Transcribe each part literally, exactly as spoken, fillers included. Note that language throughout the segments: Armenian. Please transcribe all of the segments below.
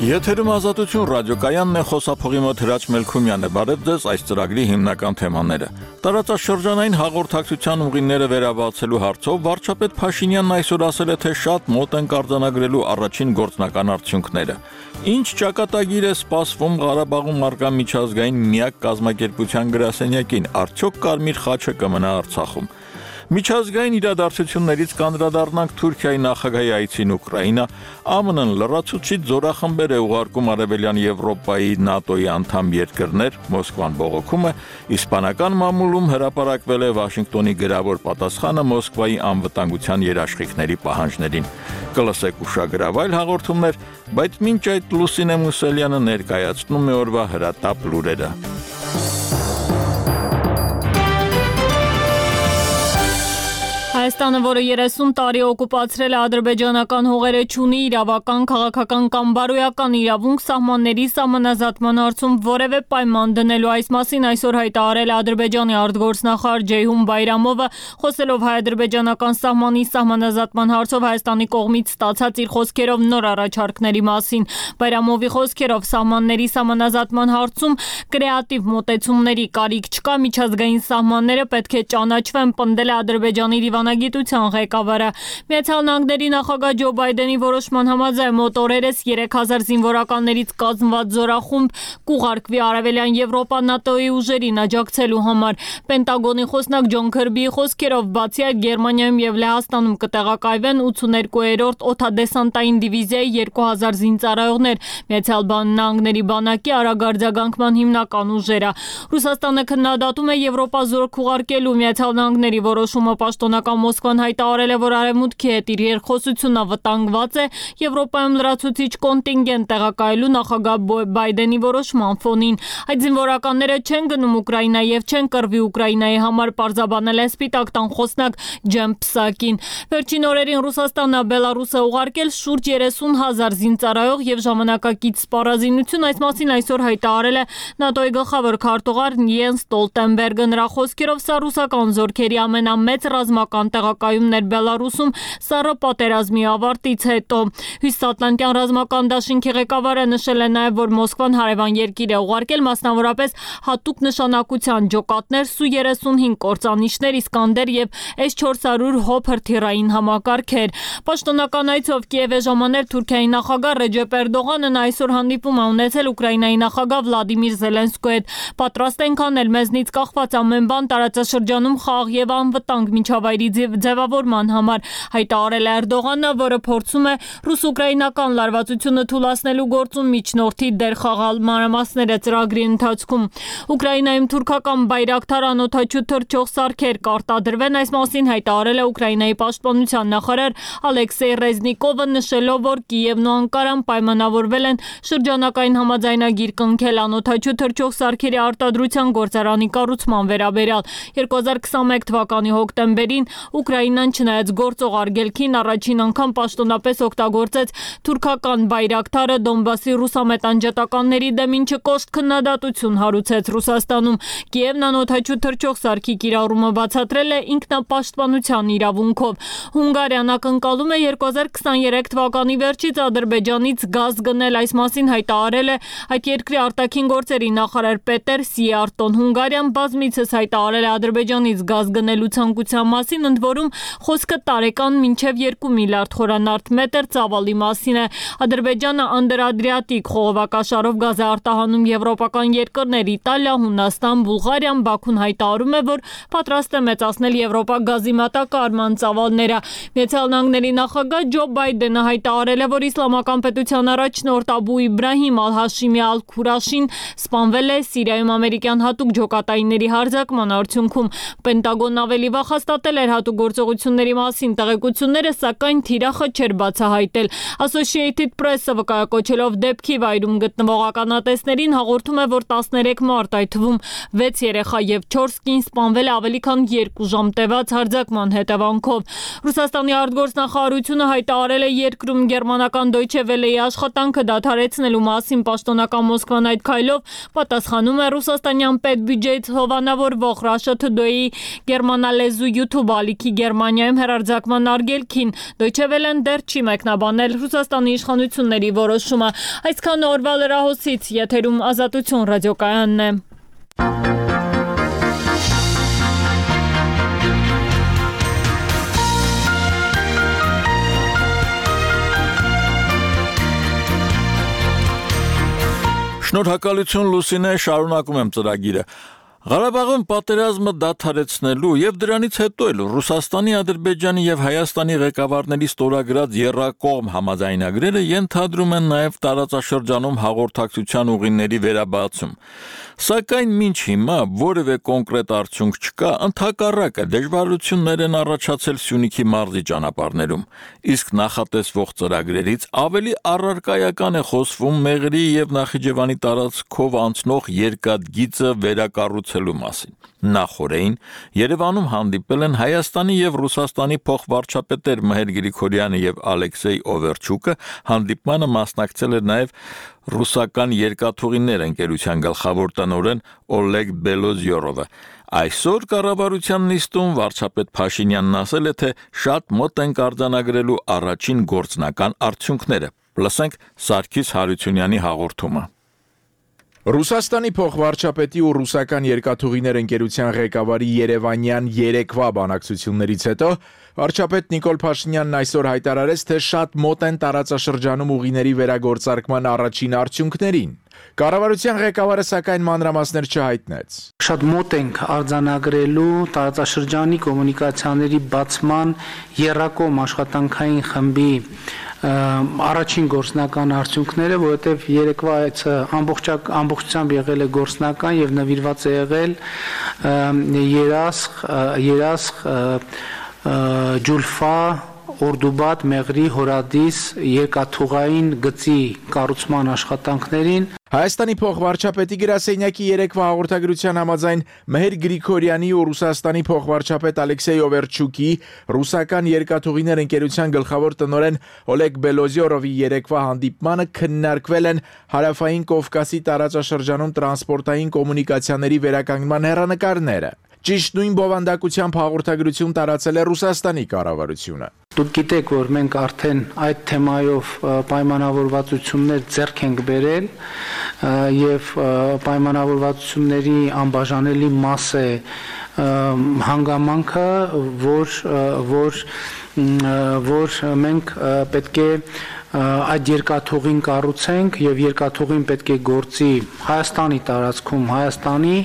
Եթերում Ազատություն ռադիոկայանն է, խոսափողի մոտ Հրաչ Մելքումյանը։ Բարև ձեզ, այս ծրագրի հիմնական թեմաները։ Տարածաշրջանային հաղորդակցության ուղիները վերաբացելու հարցով վարչապետ Փաշինյանն այսօր ասել է, թե շատ մոտ են արձանագրելու առաջին գործնական արդյունքները։ Ինչ ճակատագիր է սպասվում Ղարաբաղում առկա միջազգային միակ կազմակերպության գրասենյակին, արդյոք Կարմիր խաչը կմնա Արցախում։ Միջազգային իրադարձություններից կանդրադառնանք Թուրքիայի նախագահի այցին Ուկրաինա, ԱՄՆ-ն լրացուցիչ զորախմբեր է ուղարկում Արևելյան Եվրոպայի ՆԱՏՕ-ի անդամ երկրներ, Մոսկվան բողոքում է, իսպանական մամուլում հրապարակվել է Վաշինգտոնի գրավոր պատասխանը Մոսկվայի անվտանգության երաշխիքների պահանջներին։ Կլսեք ուշագրավ այլ հաղորդումներ, բայց մինչ այդ Լուսինե Մուսելյանը ներկայացնում է օրվա հրատապ լուրերը։ Հայաստանը, որը երեսուն տարի օկուպացրել է ադրբեջանական հողերը, չունի իրավական, քաղաքական կամ բարոյական իրավունք սահմանների սահմանազատման հարցում որևէ պայման դնելու։ Այս մասին այսօր հայտարարել է Ադրբեջանի արտգործնախարար Ջեյհուն Բայրամովը, խոսելով հայ-ադրբեջանական սահմանի սահմանազատման հարցով Հայաստանի կողմից ստացած իր խոսքերով նոր առաջարկների մասին։ Բայրամովի խոսքերով սահմանների սահմանազատման հարցում կրեատիվ մոտեցումների կարիք չկա, միջազգային սահմանները պետք է ճանաչվեն, պնդել է Ադրբեջանի դիվանագիտության ղեկավարը։ Միացյալ Նահանգների նախագահ Ջո Բայդենի որոշման համաձայն մոտ օրերս երեք հազար զինվորականներից կազմված զորախումբ կուղարկվի Արևելյան Եվրոպա ՆԱՏՕ-ի ուժերին աջակցելու համար։ Պենտագոնի խոսնակ Ջոն Քըրբիի խոսքերով, բացի այդ Գերմանիայում եւ Լեհաստանում կտեղակայվեն ութսուներկուերորդ օդադեսանտային դիվիզիայի երկու հազար զինծառայողներ, Միացյալ Նահանգների բանակի արագարձագանքման հիմնական ուժերը։ Ռուսաստանը քննադատում է Եվրոպա զորք ուղարկելու Միացյալ Նահանգների որոշումը։ Պաշտոնական Մոսկվան հայտարարել է, որ Արևմուտքի հետ իր երկխոսությունը վտանգված է Եվրոպայում լրացուցիչ կոնտինգենտ տեղակայելու նախագահ Բայդենի որոշման ֆոնին։ Այդ զինվորականները չեն գնում Ուկրաինա եւ չեն կռվի Ուկրաինայի համար, պարզաբանել է Սպիտակ տան խոսնակ Ջեմ Պսակին։ Վերջին օրերին Ռուսաստանն Բելարուս է ուղարկել շուրջ երեսուն հազար զինծառայող եւ ժամանակակից սպառազինություն։ Այս մասին այսօր հայտարարել է ՆԱՏՕ-ի գլխավոր քարտուղար Յենս Ստոլտենբերգը։ Նրա խոսքերով սա ռուսական զորքերի ամենամեծ ռազմական տեղակայումն էր Բելարուսում սառը պատերազմի ավարտից հետո։ Հյուսիսատլանտյան ռազմական դաշինքի ղեկավարը նշել է նաև, որ Մոսկվան հարևան երկիր է ուղարկել մասնավորապես հատուկ նշանակության ջոկատներ Սու երեսունհինգ կործանիչներ, Իսկանդեր եւ էս չորս հարյուր հոփր թիրային համակարգեր։ Պաշտոնական այցով Կիև է ժամանել Թուրքիայի նախագահ Ռեջեփ Էրդողանն այսօր հանդիպում է ունեցել Ուկրաինայի նախագահ Վլադիմիր Զելենսկուի հետ։ Պատրաստ ենք անել մեզնից կախված ամեն բան տարածաշրջանում խաղաղ եւ անվտանգ միջավայրի ձևավորման համար, հայտարարել է Էրդողանը, որը փորձում է ռուս-ուկրաինական լարվածությունը թուլացնելու գործում միջնորդի դեր խաղալ մանրամասները ծրագրի ընթացքում։ Ուկրաինայում թուրքական բայրակթար անօդաչու թռչող սարքեր կարտադրվեն, այս մասին հայտարարել է Ուկրաինայի պաշտպանության նախարար Ալեքսեյ Ռեզնիկովը, նշելով, որ Կիևն ու Անկարան պայմանավորվել են շրջանակային համաձայնագիր կնքել անօդաչու թռչող սարքերի արտադրության գործարանի կառուցման վերաբերյալ։ երկու հազար քսանմեկ թվականի հոկտեմբերին Ուկրաինան, չնայած գործող արգելքին, առաջին անգամ պաշտոնապես օգտագործեց թուրքական բայրակթարը Դոնբասի ռուսամետ անջատականների դեմ, ինչը կոշտ քննադատություն հարուցեց Ռուսաստանում։ Կիևն անօդաչու թռչող սարքի կիրառումը բացատրել է ինքնապաշտպանության իրավունքով։ Հունգարիան ակնկալում է երկու հազար քսաներեք թվականի վերջից Ադրբեջանից գազ գնել, այս մասին հայտարարել է այդ երկրի արտաքին գործերի նախարար Պետեր Սիարտոն։ Հունգարիան բազմիցս հայտարարել է Ադրբեջանից գազ գնելու ցանկության մասին, ընդ որում խոսքը տարեկան մինչև երկու միլիարդ խորանարդ մետր ծավալի մասին է։ Ադրբեջանը Անդրադրիատիկ խողովակաշարով գազ է արտահանում եվրոպական երկրներ Իտալիա, Հունաստան, Բուլղարիան։ Բաքուն հայտարարում է, որ պատրաստ է մեծացնել Եվրոպա գազի մատակարարման ծավալները։ Միացյալ Նահանգների նախագահ Ջո Բայդենը հայտարարել է, որ Իսլամական պետության առաջնորդ Աբու Իբրահիմ Ալ-Հաշիմի Ալ-Քուրաշին սպանվել է Սիրիայում ամերիկյան հատուկ ջոկատայինների հարձակման արդյունքում։ Պենտագոնն ավելի վաղ հաստատել էր հատուկ գործողությունների մասին տեղեկությունները, սակայն թիրախը չէր բացահայտել։ Associated Press-ը վկայակոչելով դեպքի վայրում գտնվող ականատեսներին հաղորդում է, որ տասներեք մարդ, այդ թվում վեց երեխա եւ չորս կին սպանվել է ավելի քան երկու ժամ տևած հարձակման հետևանքով։ Ռուսաստանի արտգործնախարարությունը հայտարարել է երկրում գերմանական Deutsche Welle-ի աշխատանքը դադարեցնելու մասին։ Պաշտոնական Մոսկվան այդ քայլով պատասխանում է ռուսաստանյան պետբյուջեից հովանավորվող Russia Today-ի գերմանալեզու YouTube կարիքի Գերմանիայում հեռարձակման արգելքին։ Deutsche Welle-ն դեռ չի մեկնաբանել Ռուսաստանի իշխանությունների որոշումը։ Այսքան օրվա լրահոսից եթերում Ազատություն ռադիոկայանն է։ Շնորհակալություն Լուսինե, շարունակում եմ ծրագիրը։ Ղարաբաղում պատերազմը դադարեցնելու եւ դրանից հետո էլ Ռուսաստանի, Ադրբեջանի եւ Հայաստանի ղեկավարների ստորագրած եռակողմ համաձայնագրերը ենթադրում են նաեւ տարածաշրջանում հաղորդակցության ուղիների վերաբացում։ Սակայն մինչ հիմա որևէ կոնկրետ արդյունք չկա, ընդհակառակը դժվարություններ են առաջացել Սյունիքի մարզի ճանապարհներում։ Իսկ նախատեսվող ծրագրերից ավելի առարկայական է խոսվում Մեղրի եւ Նախիջևանի տարածքով անցնող երկաթգիծը վերակառուցելու մասին։ Նախորդին Երևանում հանդիպել են Հայաստանի եւ Ռուսաստանի փոխվարչապետեր Մհեր Գրիգորյանը եւ Ալեքսեյ Օվերչուկը, հանդիպմանը մասնակցել էր նաեւ ռուսական երկաթուղիներ ընկերության գլխավոր տնօրեն Օլեգ Բելոզյորովը։ Այսօր կառավարության նիստում վարչապետ Փաշինյանն ասել է, թե շատ մոտ են արձանագրելու առաջին գործնական արդյունքները։ Լսենք Սարգիս Հարությունյանի հաղորդումը։ Ռուսաստանի փոխվարչապետի ու ռուսական երկաթուղիներ ընկերության ղեկավարի Երևանյան երեկվա բանակցություններից հետո վարչապետ Նիկոլ Փաշինյանն այսօր հայտարարեց, թե շատ մոտ են տարածաշրջանում ուղիների վերագործարկման առաջին արդյունքներին։ Կառավարության ղեկավարը սակայն մանրամասներ չհայտնեց։ Շատ մոտ ենք արձանագրելու տարածաշրջանի կոմունիկացիաների բացման եռակողմ աշխատանքային խմբի առաջին գործնական արդյունքները, որովհետև երեկվա այցը ամբողջակ ամբողջությամբ եղել է գործնական եւ նվիրված է եղել երասխ երասխ ջուլֆա Օրդուբադ Մեղրի Հորադիս երկաթուղային գծի կառուցման աշխատանքներին։ Հայաստանի փոխվարչապետի գրասենյակի երեկվա հաղորդագրության համաձայն Մհեր Գրիգորյանի ու Ռուսաստանի փոխվարչապետ Ալեքսեյ Օվերչուկի, ռուսական երկաթուղիներ ընկերության գլխավոր տնօրեն Օլեգ Բելոզյորովի երեկվա հանդիպմանը քննարկվել են Հարավային Կովկասի տարածաշրջանում տրանսպորտային կոմունիկացիաների վերականգնման հեռանկարները։ Ճիշտ նույն բովանդակությամբ հաղորդագրություն տարածել է Ռուսաստանի կառավարությունը։ Դուք գիտեք, որ մենք արդեն այդ թեմայով պայմանավորվածություններ ձեռք ենք բերել եւ պայմանավորվածությունների անբաժանելի մաս է հանգամանքը, որ որ որ մենք պետք է այդ երկաթուղին կառուցենք եւ երկաթուղին պետք է գործի Հայաստանի տարածքում Հայաստանի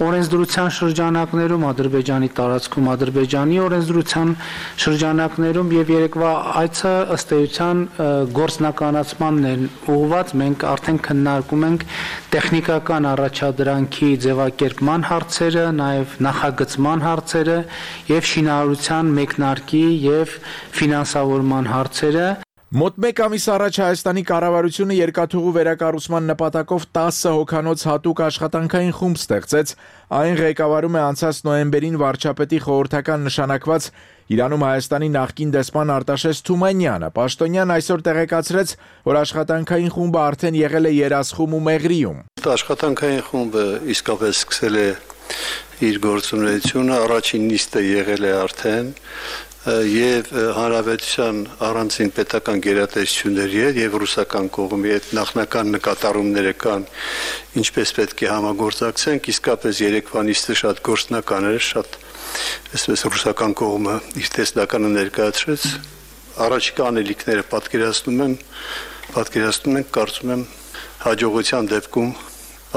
օրենսդրության շրջանակներում, Ադրբեջանի տարածքում Ադրբեջանի օրենսդրության շրջանակներում եւ երեկվա այցը ըստ էության գործնականացմանն է ուղղված։ Մենք արդեն քննարկում ենք տեխնիկական առաջադրանքի ձևակերպման հարցերը, նաեւ նախագծման հարցերը եւ շինարարության մեկնարկի եւ ֆինանսավորման հարցերը։ Մոտ մեկ ամիս առաջ Հայաստանի կառավարությունը երկաթուղու վերակառուցման նպատակով տասը հոգանոց հատուկ աշխատանքային խումբ ստեղծեց, այն ղեկավարում է անցած նոյեմբերին վարչապետի խորհրդական նշանակված Իրանում Հայաստանի նախկին դեսպան Արտաշես Թումանյանը։ Պաշտոնյան այսօր տեղեկացրեց, որ աշխատանքային խումբը արդեն եղել է Երասխում ու Մեղրիում։ Աշխատանքային խումբը իսկապես սկսել է իր գործունեությունը, առաջին նիստը եղել է արդեն եւ հանրապետության առանցին պետական գերատեսչությունների հետ եւ ռուսական կողմի հետ նախնական նկատառումները կան, ինչպես պետք է համագործակցենք, իսկապես երեկվա նիստը շատ գործնական էր, շատ այսպես ռուսական կողմը իր տեսլականը ներկայացրեց, առաջիկա անելիքները պատկերացնում են, պատկերացնում ենք, կարծում եմ հաջողության դեպքում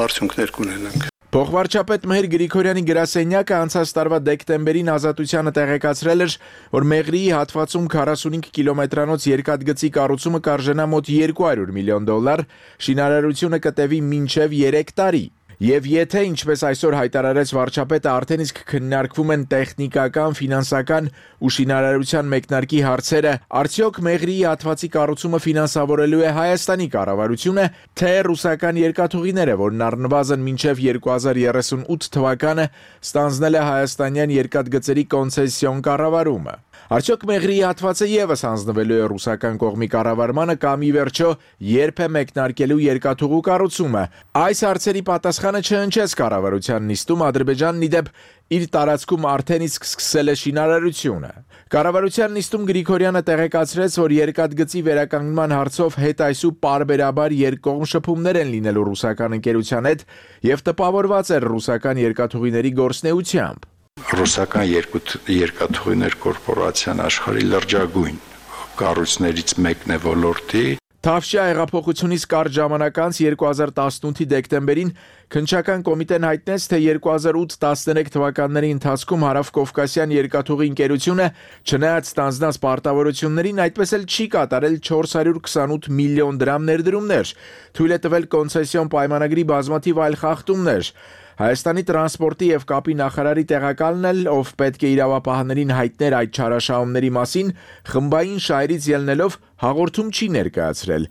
արդյունքներ կունենանք։ Փոխվարչապետ Մհեր Գրիգորյանի գրասենյակը անցած տարվա դեկտեմբերին Ազատությանը տեղեկացրել էր, որ Մեղրիի հատվածում քառասունհինգ կիլոմետրանոց երկաթգծի կառուցումը կարժենա մոտ երկու հարյուր միլիոն դոլար, շինարարությունը կտևի մինչև երեք տարի։ Եվ եթե, ինչպես այսօր հայտարարեց վարչապետը, արդեն իսկ քննարկվում են տեխնիկական, ֆինանսական ու շինարարության մեկնարկի հարցերը, արդյոք Մեղրիի հատվածի կառուցումը ֆինանսավորելու է Հայաստանի կառավարությունը, թե ռուսական երկաթուղիները, որն առնվազն մինչև երկու հազար երեսունութ թվականը ստանձնել է հայաստանյան երկաթգծերի կոնցեսիոն կառավարումը։ Արդյոք Մեղրիի հատվածը եւս հանձնվելու է ռուսական կողմի կառավարմանը կամ ի վերջո երբ է մեկնարկելու երկաթուղու կառուցումը։ Այս հարցերի պատասխան Սեղանը չհնչեց կառավարության նիստում, Ադրբեջանն ի դեպ իր տարածքում արդեն իսկ սկսել է շինարարությունը։ Կառավարության նիստում Գրիգորյանը տեղեկացրեց, որ երկաթգծի վերականգնման հարցով հետայսու պարբերաբար երկկողմ շփումներ են լինելու ռուսական ընկերության հետ եւ տպավորված էր ռուսական երկաթուղիների գործնեությամբ։ Ռուսական երկաթուղիներ կորպորացիան աշխարհի լրջագույն կառույցներից մեկն է ոլորտի։ Թավշյա հեղափոխությունից կարճ ժամանակ անց երկու հազար տասնութի դեկտեմբերին Քննչական կոմիտեն հայտնեց, թե երկու հազար ութ տասներեք թվականների ընթացքում Հարավկովկասյան երկաթուղի ընկերությունը չնայած ստանձնած պարտավորություններին այդպես էլ չի կատարել չորս հարյուր քսանութ միլիոն դրամ ներդրումներ, թույլ է տվել կոնցեսիոն պայմանագրի բազմաթիվ այլ խախտումներ։ Հայաստանի տրանսպորտի եւ կապի նախարարի տեղակալն էլ, ով պետք է իրավապահներին հայտներ այդ չարաշահումների մասին, խմբային շահերից ելնելով հաղորդում չի ներկայացրել։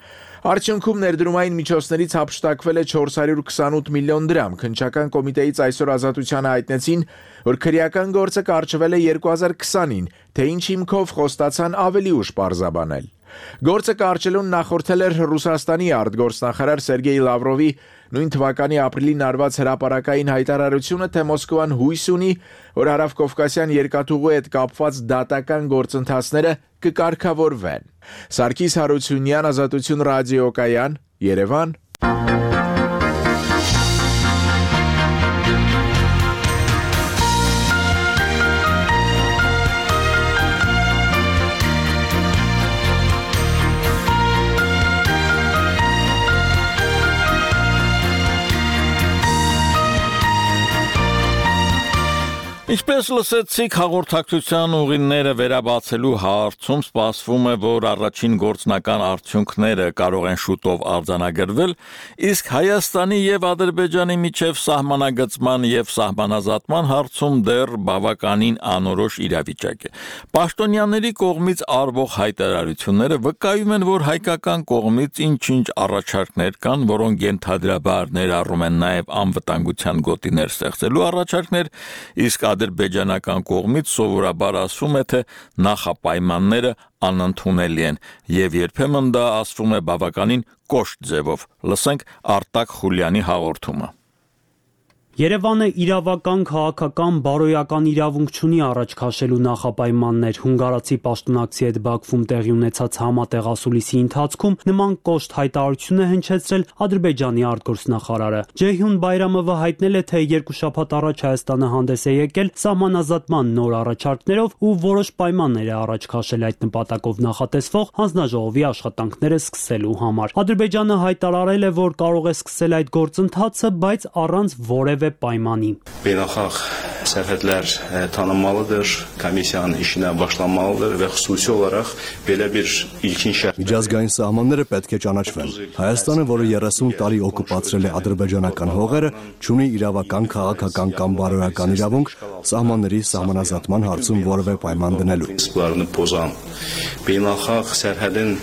Արդյունքում ներդրումային միջոցներից հափշտակվել է չորս հարյուր քսանութ միլիոն դրամ։ Քննչական կոմիտեից այսօր Ազատությանը հայտնեցին, որ քրեական գործը կարճվել է երկու հազար քսանին, թե ինչ հիմքով խոստացան ավելի ուշ պարզաբանել։ Գործը կարճելուն նախորդել էր Ռուսաստանի արտգործնախարար Սերգեյ Լավրովի նույն թվականի ապրիլին արված հրապարակային հայտարարությունը, թե Մոսկվան հույս ունի, որ Հարավկովկասյան երկաթուղու հետ կապված դատական գործընթացները կկարգավորվեն։ Սարգիս Հարությունյան, Ազատություն ռադիոկայան, Երևան։ Ինչպես լսեցիք, հաղորդակցության ուղիները վերաբացելու հարցում սպասվում է, որ առաջին գործնական արդյունքները կարող են շուտով արձանագրվել, իսկ Հայաստանի եւ Ադրբեջանի միջև սահմանագծման եւ սահմանազատման հարցում դեռ բավականին անորոշ իրավիճակ է։ Պաշտոնյաների կողմից արվող հայտարարությունները վկայում են, որ հայկական կողմից ինչ-ինչ առաջարկներ կան, որոնք ենթադրաբար ներառում են նաեւ անվտանգության գոտիներ ստեղծելու առաջարկներ, իսկ ադրբեջանական կողմից սովորաբար ասվում է, թե նախապայմանները անընդունելի են, եւ երբեմն դա ասվում է բավականին կոշտ ձևով։ Լսենք Արտակ Խուլյանի հաղորդումը։ Երևանը իրավական, քաղաքական, բարոյական իրավունք չունի առաջ քաշելու նախապայմաններ։ Հունգարացի պաշտոնակցի հետ Բաքվում տեղի ունեցած համատեղ ասուլիսի ընթացքում նման կոշտ հայտարարություն է հնչեցրել Ադրբեջանի արտգործնախարարը։ Ջեյհուն Բայրամովը հայտնել է, թե երկու շաբաթ առաջ Հայաստանը հանդես է եկել սահմանազատման նոր առաջարկներով ու որոշ պայմաններ է առաջ քաշել այդ նպատակով նախատեսվող հանձնաժողովի աշխատանքները սկսելու համար։ Ադրբեջանը հայտարարել է, որ կարող է սկսել այդ գործընթացը, բայց առանց որևէ պայմանի. Beynəlxalq sərhədlər tanınmalıdır, komissiyanın işinə başlanmalıdır və xüsusi olaraq belə bir ilkin şərt. Միջազգային սահմանները պետք է ճանաչվեն։ Հայաստանը, որը երեսուն տարի օկուպացրել է ադրբեջանական հողերը, չունի իրավական, քաղաքական կամ բարոյական իրավունք սահմանների սահմանազատման հարցում որևէ պայման դնելու։ Պրինցիպլարını pozan beynəlxalq sərhədin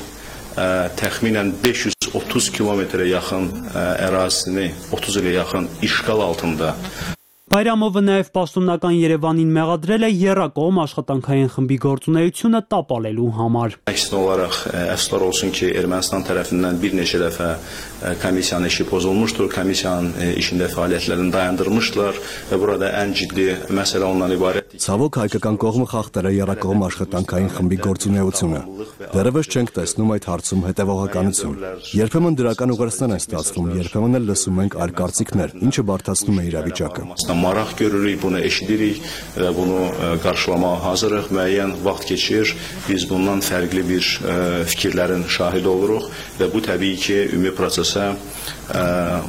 təxminən beş yüz otuz kilometrə yaxın ərazisini otuz ilə yaxın işğal altında. Բայրամովը նաև պաշտոնական Երևանին մեղադրել է եռակողմ աշխատանքային խմբի գործունեությունը տապալելու համար։ Əksinə olaraq əfsuslar olsun ki, Ermənistan tərəfindən bir neçə dəfə komissiyanın işi pozulmuşdur, komissiyanın işində fəaliyyətlərini dayandırmışlar və burada ən ciddi məsələ ondan ibarət. Ցավոք հայկական կողմը խախտել է եռակողմ աշխատանքային խմբի գործունեությունը։ Դեռևս չենք տեսնում այդ հարցում հետևողականություն։ Երբեմն դրական ուղերձներ են ստացվում, երբեմն էլ լսում ենք այլ կարծիքներ, ինչը բարդացնում է իրավիճակը։ Maraq görürük, bunu eşidirik və bunu qarşılamağa hazırıq. Müəyyən vaxt keçir, biz bundan fərqli bir fikirlərin şahidi oluruq və bu təbii ki, ümumi prosesə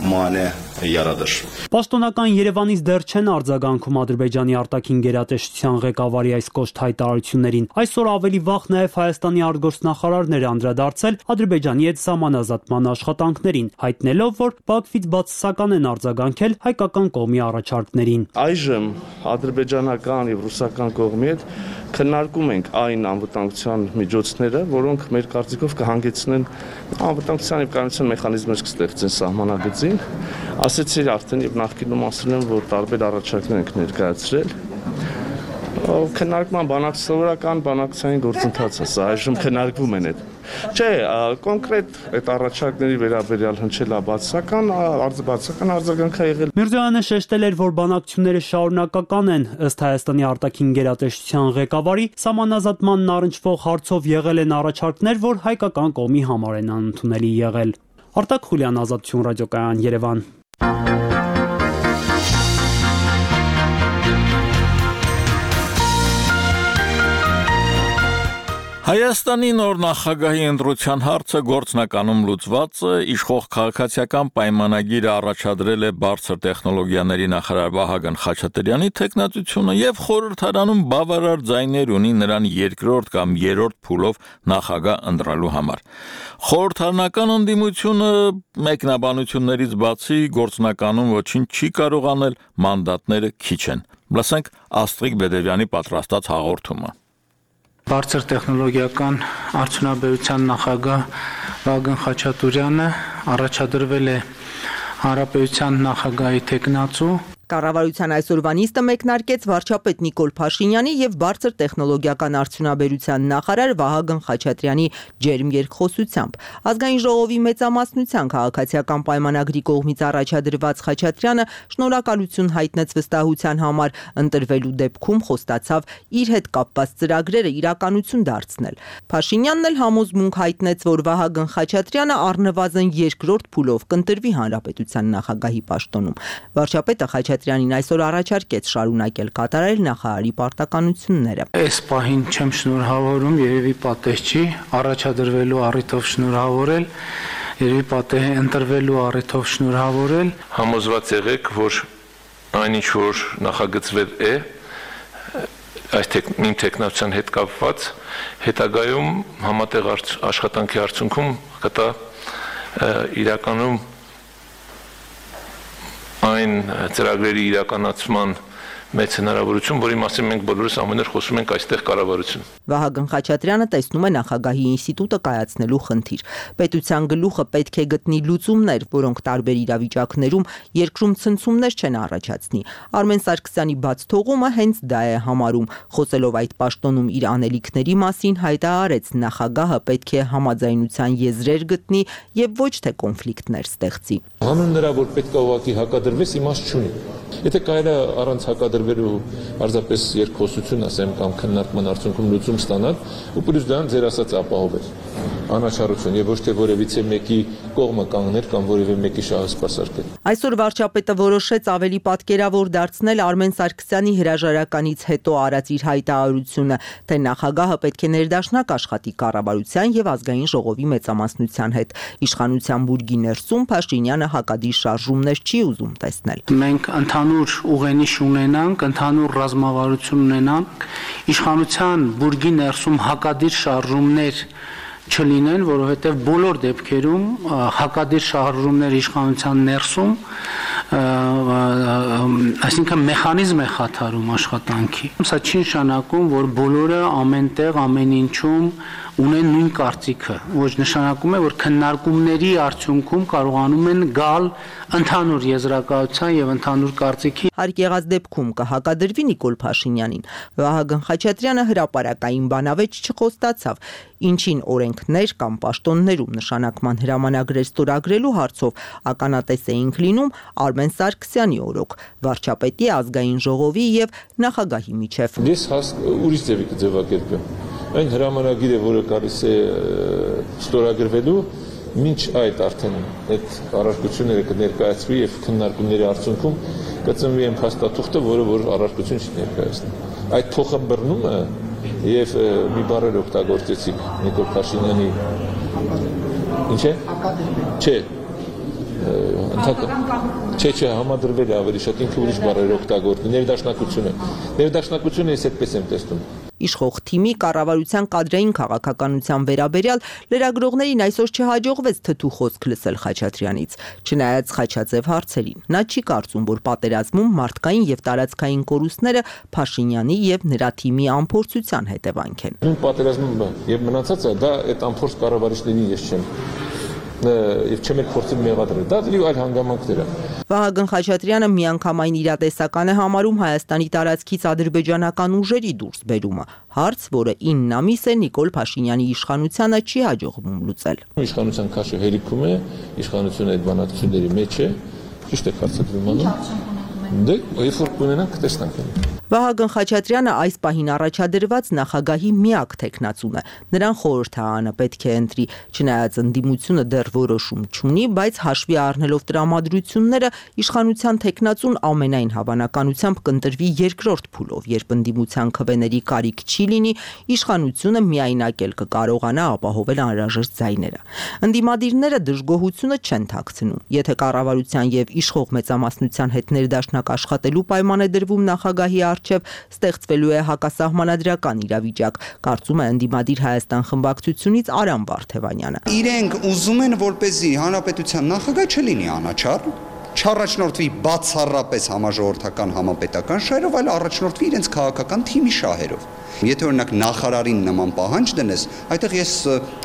mane yaradır. Պաշտոնական Երևանից դեռ չեն արձագանքում Ադրբեջանի արտաքին գերատեսչության ղեկավարի այս կոշտ հայտարարություններին։ Այսօր ավելի վաղ նաև Հայաստանի արտգործնախարարն էր անդրադարձել Ադրբեջանի հետ սահմանազատման աշխատանքներին, հայտնելով, որ Բաքվից բացասական են արձագանքել հայկական կողմի առաջարկներին։ Այժմ ադրբեջանական եւ ռուսական կողմի հետ քննարկում ենք այն անվտանգության միջոցները, որոնք մեր կարծիքով կհանգեցնեն անվտանգության եւ կայունության մեխանիզմներ կստեղծեն սահմանագծին։ Ասեցի արդեն եւ նախկինում ասել եմ, որ տարբեր առաջարկներ ենք ներկայացրել։ Քննարկման բանակցային բանակցային գործընթաց է, սա այժմ քննարկվում են այդ Չէ, կոնկրետ այդ առաջարկների վերաբերյալ հնչելա բացական, բացական արձագանք է եղել։ Միրզոյանը շեշտել էր, որ բանակցությունները շարունակական են, ըստ Հայաստանի արտաքին գերատեսչության ղեկավարի, սահմանազատմանն առնչվող հարցով եղել են առաջարկներ, որ հայկական կողմի համար են անընդունելի եղել։ Արտակ Խուլյան, Ազատություն ռադիոկայան, Երևան։ Հայաստանի նոր նախագահի ընտրության հարցը գործնականում լուծված է, իշխող քաղաքացիական պայմանագիրը առաջադրել է բարձր տեխնոլոգիաների նախարար Վահագն Խաչատրյանի թեկնածությունը եւ խորհրդարանում բավարար ձայներ ունի նրան երկրորդ կամ երրորդ փուլով նախագահ ընտրելու համար։ Խորհրդարանական ընդդիմությունը մեկնաբանություններից բացի գործնականում ոչինչ չի կարող անել, մանդատները քիչ են։ Լսենք Աստրիկ Բեդևյանի պատրաստած հաղորդումը։ Բարձր տեխնոլոգիական արդյունաբերության նախագահ Վահագն Խաչատուրյանը առաջադրվել է Հանրապետության նախագահի թեկնածու։ Կառավարության այսօրվա նիստը մեկնարկեց վարչապետ Նիկոլ Փաշինյանի եւ բարձր տեխնոլոգիական արդյունաբերության նախարար Վահագն Խաչատրյանի ջերմ երկխոսությամբ։ Ազգային ժողովի մեծամասնության քաղաքացիական պայմանագրի կողմից առաջադրված Խաչատրյանը շնորհակալություն հայտնեց վստահության համար, ընտրվելու դեպքում խոստացավ իր հետ կապված ծրագրերը իրականություն դարձնել։ Փաշինյանն էլ համոզմունք հայտնեց, որ Վահագն Խաչատրյանը առնվազն երկրորդ փուլով կընտրվի հանրապետության նախագահի պաշտոնում։ Վարչապետը Խաչատրյանին այսօր առաջարկեց շարունակել կատարել նախարարի պարտականությունները։ Այս պահին չեմ շնորհավորում, երևի պատեհ չի, առաջադրվելու առիթով շնորհավորել, երևի պատեհ է ընտրվելու առիթով շնորհավորել։ Համոզված եղեք, որ այնինչ որ նախագծվել է այս իմ տեխնոլոգիան հետ կապված, հետագայում համատեղ աշխատանքի արդյունքում կտա իրականում այն ծրագրերի իրականացման մեծ հնարավորություն, որի մասին մենք բոլորս ամեն օր խոսում ենք այստեղ կառավարություն։ Վահագն Խաչատրյանը տեսնում է նախագահի ինստիտուտը կայացնելու խնդիր։ Պետության գլուխը պետք է գտնի լուծումներ, որոնք տարբեր իրավիճակներում երկրում ցնցումներ չեն առաջացնի։ Արմեն Սարգսյանի բաց թողումը հենց դա է համարում։ Խոսելով այդ պաշտոնում իր անելիքների մասին, հայտարարեց նախագահը պետք է համաձայնության եզրեր գտնի եւ ոչ թե կոնֆլիկտներ ստեղծի։ Հանուն նրա, որ պետք է ուղղակի հակադրվես, իմաստ չունի։ Եթե կարելի է առանց հակադրվելու պարզապես երկխոսություն ասեմ կամ քննարկման արդյունքում լուծում ստանալ, ու պլյուս դրան ձեր ասած ապահովել անաչառություն եւ ոչ թե որևիցե մեկի կողմը կանգնել կամ որևէ մեկի շահը սպասարկել։ Այսօր վարչապետը որոշեց ավելի պատկերավոր դարձնել Արմեն Սարգսյանի հրաժարականից հետո արած իր հայտարարությունը, թե նախագահը պետք է ներդաշնակ աշխատի կառավարության եւ ազգային ժողովի մեծամասնության հետ։ Իշխանության բուրգի ներսում Փաշինյանը հակադիր շարժումներ չի ուզում տեսնել։ Մենք ընդհանուր ուղենիշ ունենանք, ընդհանուր ռազմավարություն ունենանք, իշխանության բուրգի ներսում հակադիր շարժումներ չլինեն, որովհետև բոլոր դեպքերում հակադիր շարժումներ իշխանության ներսում, այսինքն մեխանիզմ է խաթարում աշխատանքի։ Սա չի նշանակում, որ բոլորը ամենտեղ, ամեն ինչում ունեն նույն կարծիքը, ոչ նշանակում է, որ քննարկումների արդյունքում կարողանում են գալ ընդհանուր եզրակացության եւ ընդհանուր կարծիքի։ Հարկ եղած դեպքում կհակադրվի Նիկոլ Փաշինյանին։ Վահագն Խաչատրյանը հրապարակային բանավեճ չխոստացավ, ինչին օրենքներ կամ պաշտոններում նշանակման հրամանագրեր ստորագրելու հարցով ականատես էինք լինում Արմեն Սարգսյանի օրոք, վարչապետի, ազգային ժողովի եւ նախագահի միջև։ Ես ուրիշ ձևի կձևակերպեմ։ Այն հրամանագիրը, որը գալիս է ստորագրվելու, մինչ այդ արդեն այդ առարկությունները կներկայացվի եւ քննարկումների արդյունքում կծնվի այն փաստաթուղթը, որը որ առարկություն չի ներկայացնի։ Այդ փոխըմբռնումը եւ մի բառեր օգտագործեցիք Նիկոլ Փաշինյանի ինչ է? Չէ։ Չէ, չէ, համադրվել է ավելի շատ ինքը ուրիշ բառեր օգտագործի, ներդաշնակությունը։ Ներդաշնակությունը ես այդպես եմ տեսնում։ Իշխող թիմի կառավարության կադրային քաղաքականության վերաբերյալ լրագրողներին այսօր չհաջողվեց թթու խոսք լսել Խաչատրյանից, չնայած խաչաձև հարցերին։ Նա չի կարծում, որ պատերազմում մարդկային եւ տարածքային կորուստները Փաշինյանի եւ նրա թիմի անփորձության հետևանք են։ Նույն պատերազմում եւ մնացածը դա այդ անփորձ կառավարիչներին ես չեմ եւ չեմ էլ փորձել մեղադրել։ Դա դեպի այլ հանգամանքներ է։ Վահագն Խաչատրյանը միանգամայն իրատեսական է համարում Հայաստանի տարածքից ադրբեջանական ուժերի դուրս բերումը, հարց, որը ինը ամիս է Նիկոլ Փաշինյանի իշխանությանը չի հաջողվում լուծել։ Իշխանության քաշը հերիքում է, իշխանությունը այդ բանակցությունների մեջ է, ճիշտ է կարծում անում։ Դե, երբ որ կունենանք, կտեսնանք։ Վահագն Խաչատրյանը այս պահին առաջադրված նախագահի միակ թեկնածուն է։ Նրան խորհրդարանը պետք է ընտրի, չնայած ընդդիմությունը դեռ որոշում չունի, բայց հաշվի առնելով տրամադրությունները, իշխանության թեկնածուն ամենայն հավանականությամբ կընտրվի երկրորդ փուլով, երբ ընդդիմության քվեների կարիք չի լինի, իշխանությունը միայնակ էլ կկարողանա ապահովել անհրաժեշտ ձայները։ Ընդդիմադիրները դժգոհությունը չեն թաքցնում։ Եթե կառավարության եւ իշխող մեծամասնության հետ ներդաշնակ աշխատելու պայման է դրվում նախագահի առջև, ստեղծվելու է հակասահմանադրական իրավիճակ, կարծում է ընդդիմադիր Հայաստան խմբակցությունից Արամ Վարդևանյանը։ Իրենք ուզում են, որպեսզի հանրապետության նախագահ չլինի անաչառ, չառաջնորդվի բացառապես համաժողովրդական համապետական շահերով, այլ առաջնորդվի իրենց քաղաքական թիմի շահերով։ Եթե օրինակ նախարարին նման պահանջ դնես, այդտեղ ես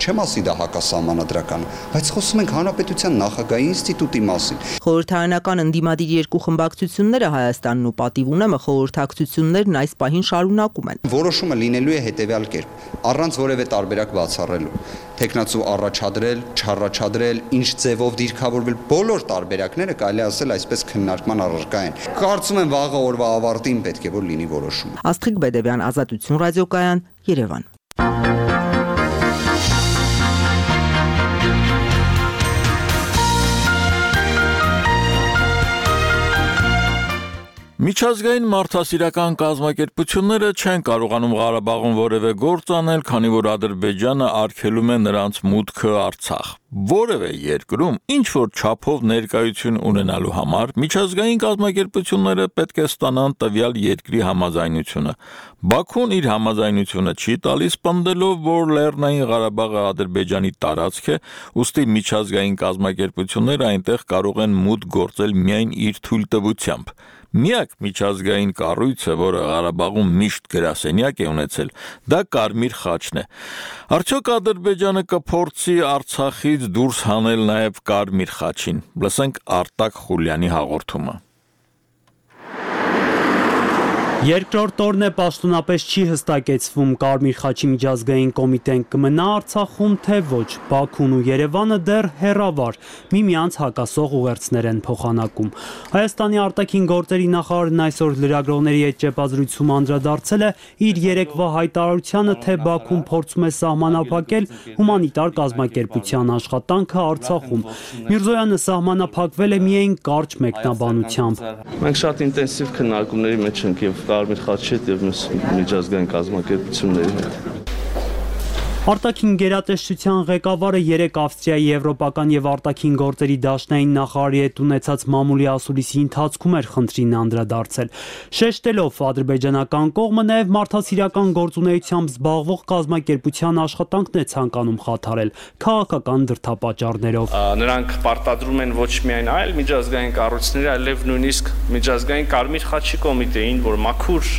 չեմ ասի դա հակասահմանադրական, բայց խոսում ենք հանրապետության նախագահի ինստիտուտի մասին։ Խորհրդարանական ընդդիմադիր երկու խմբակցությունները Հայաստանն ու Պատիվ ունեմը խորհրդակցություններն այս պահին շարունակում են։ Որոշումը լինելու է հետևյալ կերպ, առանց որևէ տարբերակ բացառելու։ Տեխնացու առաջադրել, չառաջադրել, ինչ ձևով դիրքավորվել, բոլոր տարբերակները կարելի ասել այսպես քննարկման առարկա են։ Կարծում եմ վաղը օրվա ավարտին պետք է որ լինի որոշումը։ Աստղիկ Բեդևյան, Ազատություն ռադիոկայան, Երևան։ Միջազգային մարդասիրական կազմակերպությունները չեն կարողանում Ղարաբաղում որևէ գործ անել, քանի որ Ադրբեջանը արգելում է նրանց մուտքը Արցախ։ Որևէ երկրում ինչ որ չափով ներկայություն ունենալու համար միջազգային կազմակերպությունները պետք է ստանան տվյալ երկրի համաձայնությունը։ Բաքուն իր համաձայնությունը չի տալիս, պնդելով, որ Լեռնային Ղարաբաղը Ադրբեջանի տարածք է, ուստի միջազգային կազմակերպությունները այնտեղ կարող են մուտք գործել միայն իր թույլտվությամբ։ Միակ միջազգային կառույցը, որը Ղարաբաղում միշտ գրասենյակ է ունեցել, դա Կարմիր խաչն է։ Արդյոք Ադրբեջանը կփորձի Արցախից դուրս հանել նաև Կարմիր խաչին։ Լսենք Արտակ Խուլյանի հաղորդումը։ Երկրորդ օրն է պաշտոնապես չի հստակեցվում Կարմիր խաչի միջազգային կոմիտեն կմնա Արցախում, թե ոչ։ Բաքուն ու Երևանը դեռ հեռավար միմյանց հակասող ուղերձներ են փոխանակում։ Հայաստանի արտաքին գործերի նախարարն այսօր լրագրողների հետ ճեպազրույցում անդրադարձել է իր երեկվա հայտարարությանը, թե Բաքուն փորձում է սահմանափակել հումանիտար կազմակերպության աշխատանքը Արցախում։ Միրզոյանը սահմանափակվել է միայն կարճ մեկնաբանությամբ։ Մենք շատ ինտենսիվ քննարկումների մեջ ենք եւ Կարմիր խաչի հետ եւ մյուս միջազգային կազմակերպությունների հետ։ Արտաքին գերատեսչության ղեկավարը երեկ Ավստրիայի եվրոպական եւ արտաքին գործերի դաշնային նախարարի հետ ունեցած մամուլի ասուլիսի ընթացքում էր խնդրին անդրադարձել, շեշտելով ադրբեջանական կողմը նաեւ մարդասիրական գործունեությամբ զբաղվող կազմակերպության աշխատանքն է ցանկանում խաթարել քաղաքական դրդապատճառներով։ Նրանք պարտադրում են ոչ միայն այլ միջազգային կառույցների, այլև նույնիսկ միջազգային Կարմիր խաչի կոմիտեին, որ մաքուր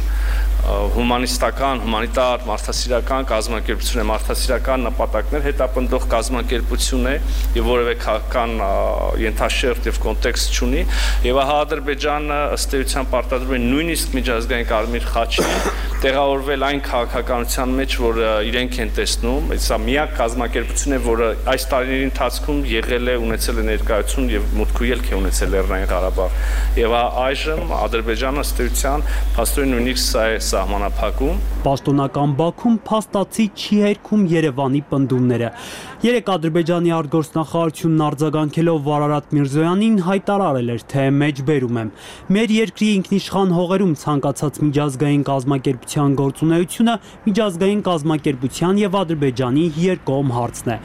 հումանիստական, հումանիտար, մարդասիրական կազմակերպություն է, մարդասիրական նպատակներ հետապնդող կազմակերպություն է եւ որևէ քաղաքական ենթաշերտ եւ կոնտեքստ չունի եւ ահա Ադրբեջանը ըստ էության պարտադրում է նույնիսկ միջազգային Կարմիր խաչին տեղավորվել այն քաղաքականության մեջ, որ իրենք են տեսնում, սա միակ կազմակերպություն է, որը այս տարիների ընթացքում եղել է, ունեցել է ներկայություն եւ մուտք ու ելք է ունեցել Լեռնային Ղարաբաղ եւ այժմ Ադրբեջանը ըստ էության փաստորեն նույնիսկ սա է սահմանափակում։ Պաշտոնական Բաքուն փաստացի չի հերքում Երևանի պնդումները։ Երեք Ադրբեջանի արտգործնախարարությունն արձագանքելով Վարարատ Միրզոյանին հայտարարել էր, թե մեջբերում եմ։ Մեր երկրի ինքնիշխան հողերում ցանկացած միջազգային կազմակերպության գործունեությունը միջազգային կազմակերպության եւ Ադրբեջանի երկկողմ հարցն է։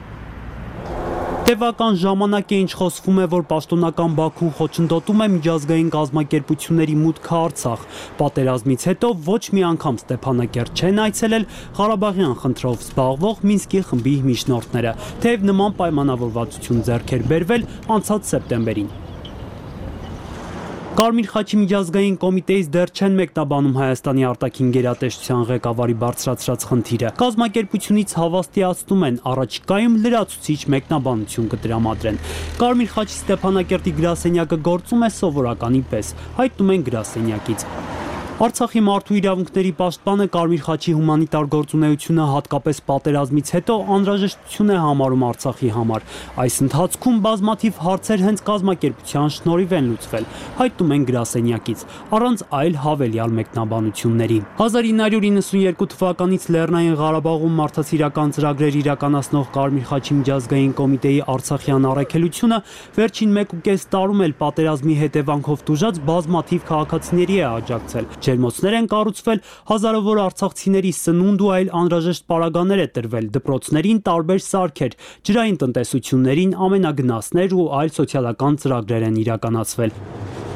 Տևական ժամանակ է ինչ խոսվում է, որ պաշտոնական Բաքուն խոչընդոտում է միջազգային կազմակերպությունների մուտքը Արցախ։ Պատերազմից հետո ոչ մի անգամ Ստեփանակերտ չեն այցելել Ղարաբաղյան խնդրով զբաղվող Մինսկի խմբի միջնորդները, թեև նման պայմանավորվածություն ձեռք էր բերվել անցած սեպտեմբերին։ Կարմիր խաչի միջազգային կոմիտեից դեռ չեն մեկնաբանում Հայաստանի արտաքին գերատեսչության ղեկավարի բարձրացրած խնդիրը։ Կազմակերպությունից հավաստիացնում են, առաջիկայում լրացուցիչ մեկնաբանություն կտրամադրեն։ Կարմիր խաչի Ստեփանակերտի գրասենյակը գործում է սովորականի պես, հայտնում են գրասենյակից։ Արցախի մարդու իրավունքների պաշտպանը Կարմիր խաչի հումանիտար գործունեությունը հատկապես պատերազմից հետո անհրաժեշտություն է համարում Արցախի համար։ Այս ընթացքում բազմաթիվ հարցեր հենց կազմակերպության շնորհիվ են լուծվել, հայտնում են գրասենյակից, առանց այլ հավելյալ մեկնաբանությունների։ հազար ինը հարյուր իննսունյերկու թվականից Լեռնային Ղարաբաղում մարդասիրական ծրագրեր իրականացնող Կարմիր խաչի միջազգային կոմիտեի Արցախյան առաքելությունը վերջին մեկ ու կես տարում էլ պատերազմի հետևանքով տուժած բազմաթիվ քաղաքացիների է աջակցել։ Ջերմոցներ են կառուցվել, հազարավոր արցախցիների սնունդ ու այլ անհրաժեշտ պարագաներ է տրվել, դպրոցներին տարբեր սարքեր, ջրային տնտեսություններին ամենագնացներ ու այլ սոցիալական ծրագրեր են իրականացվել։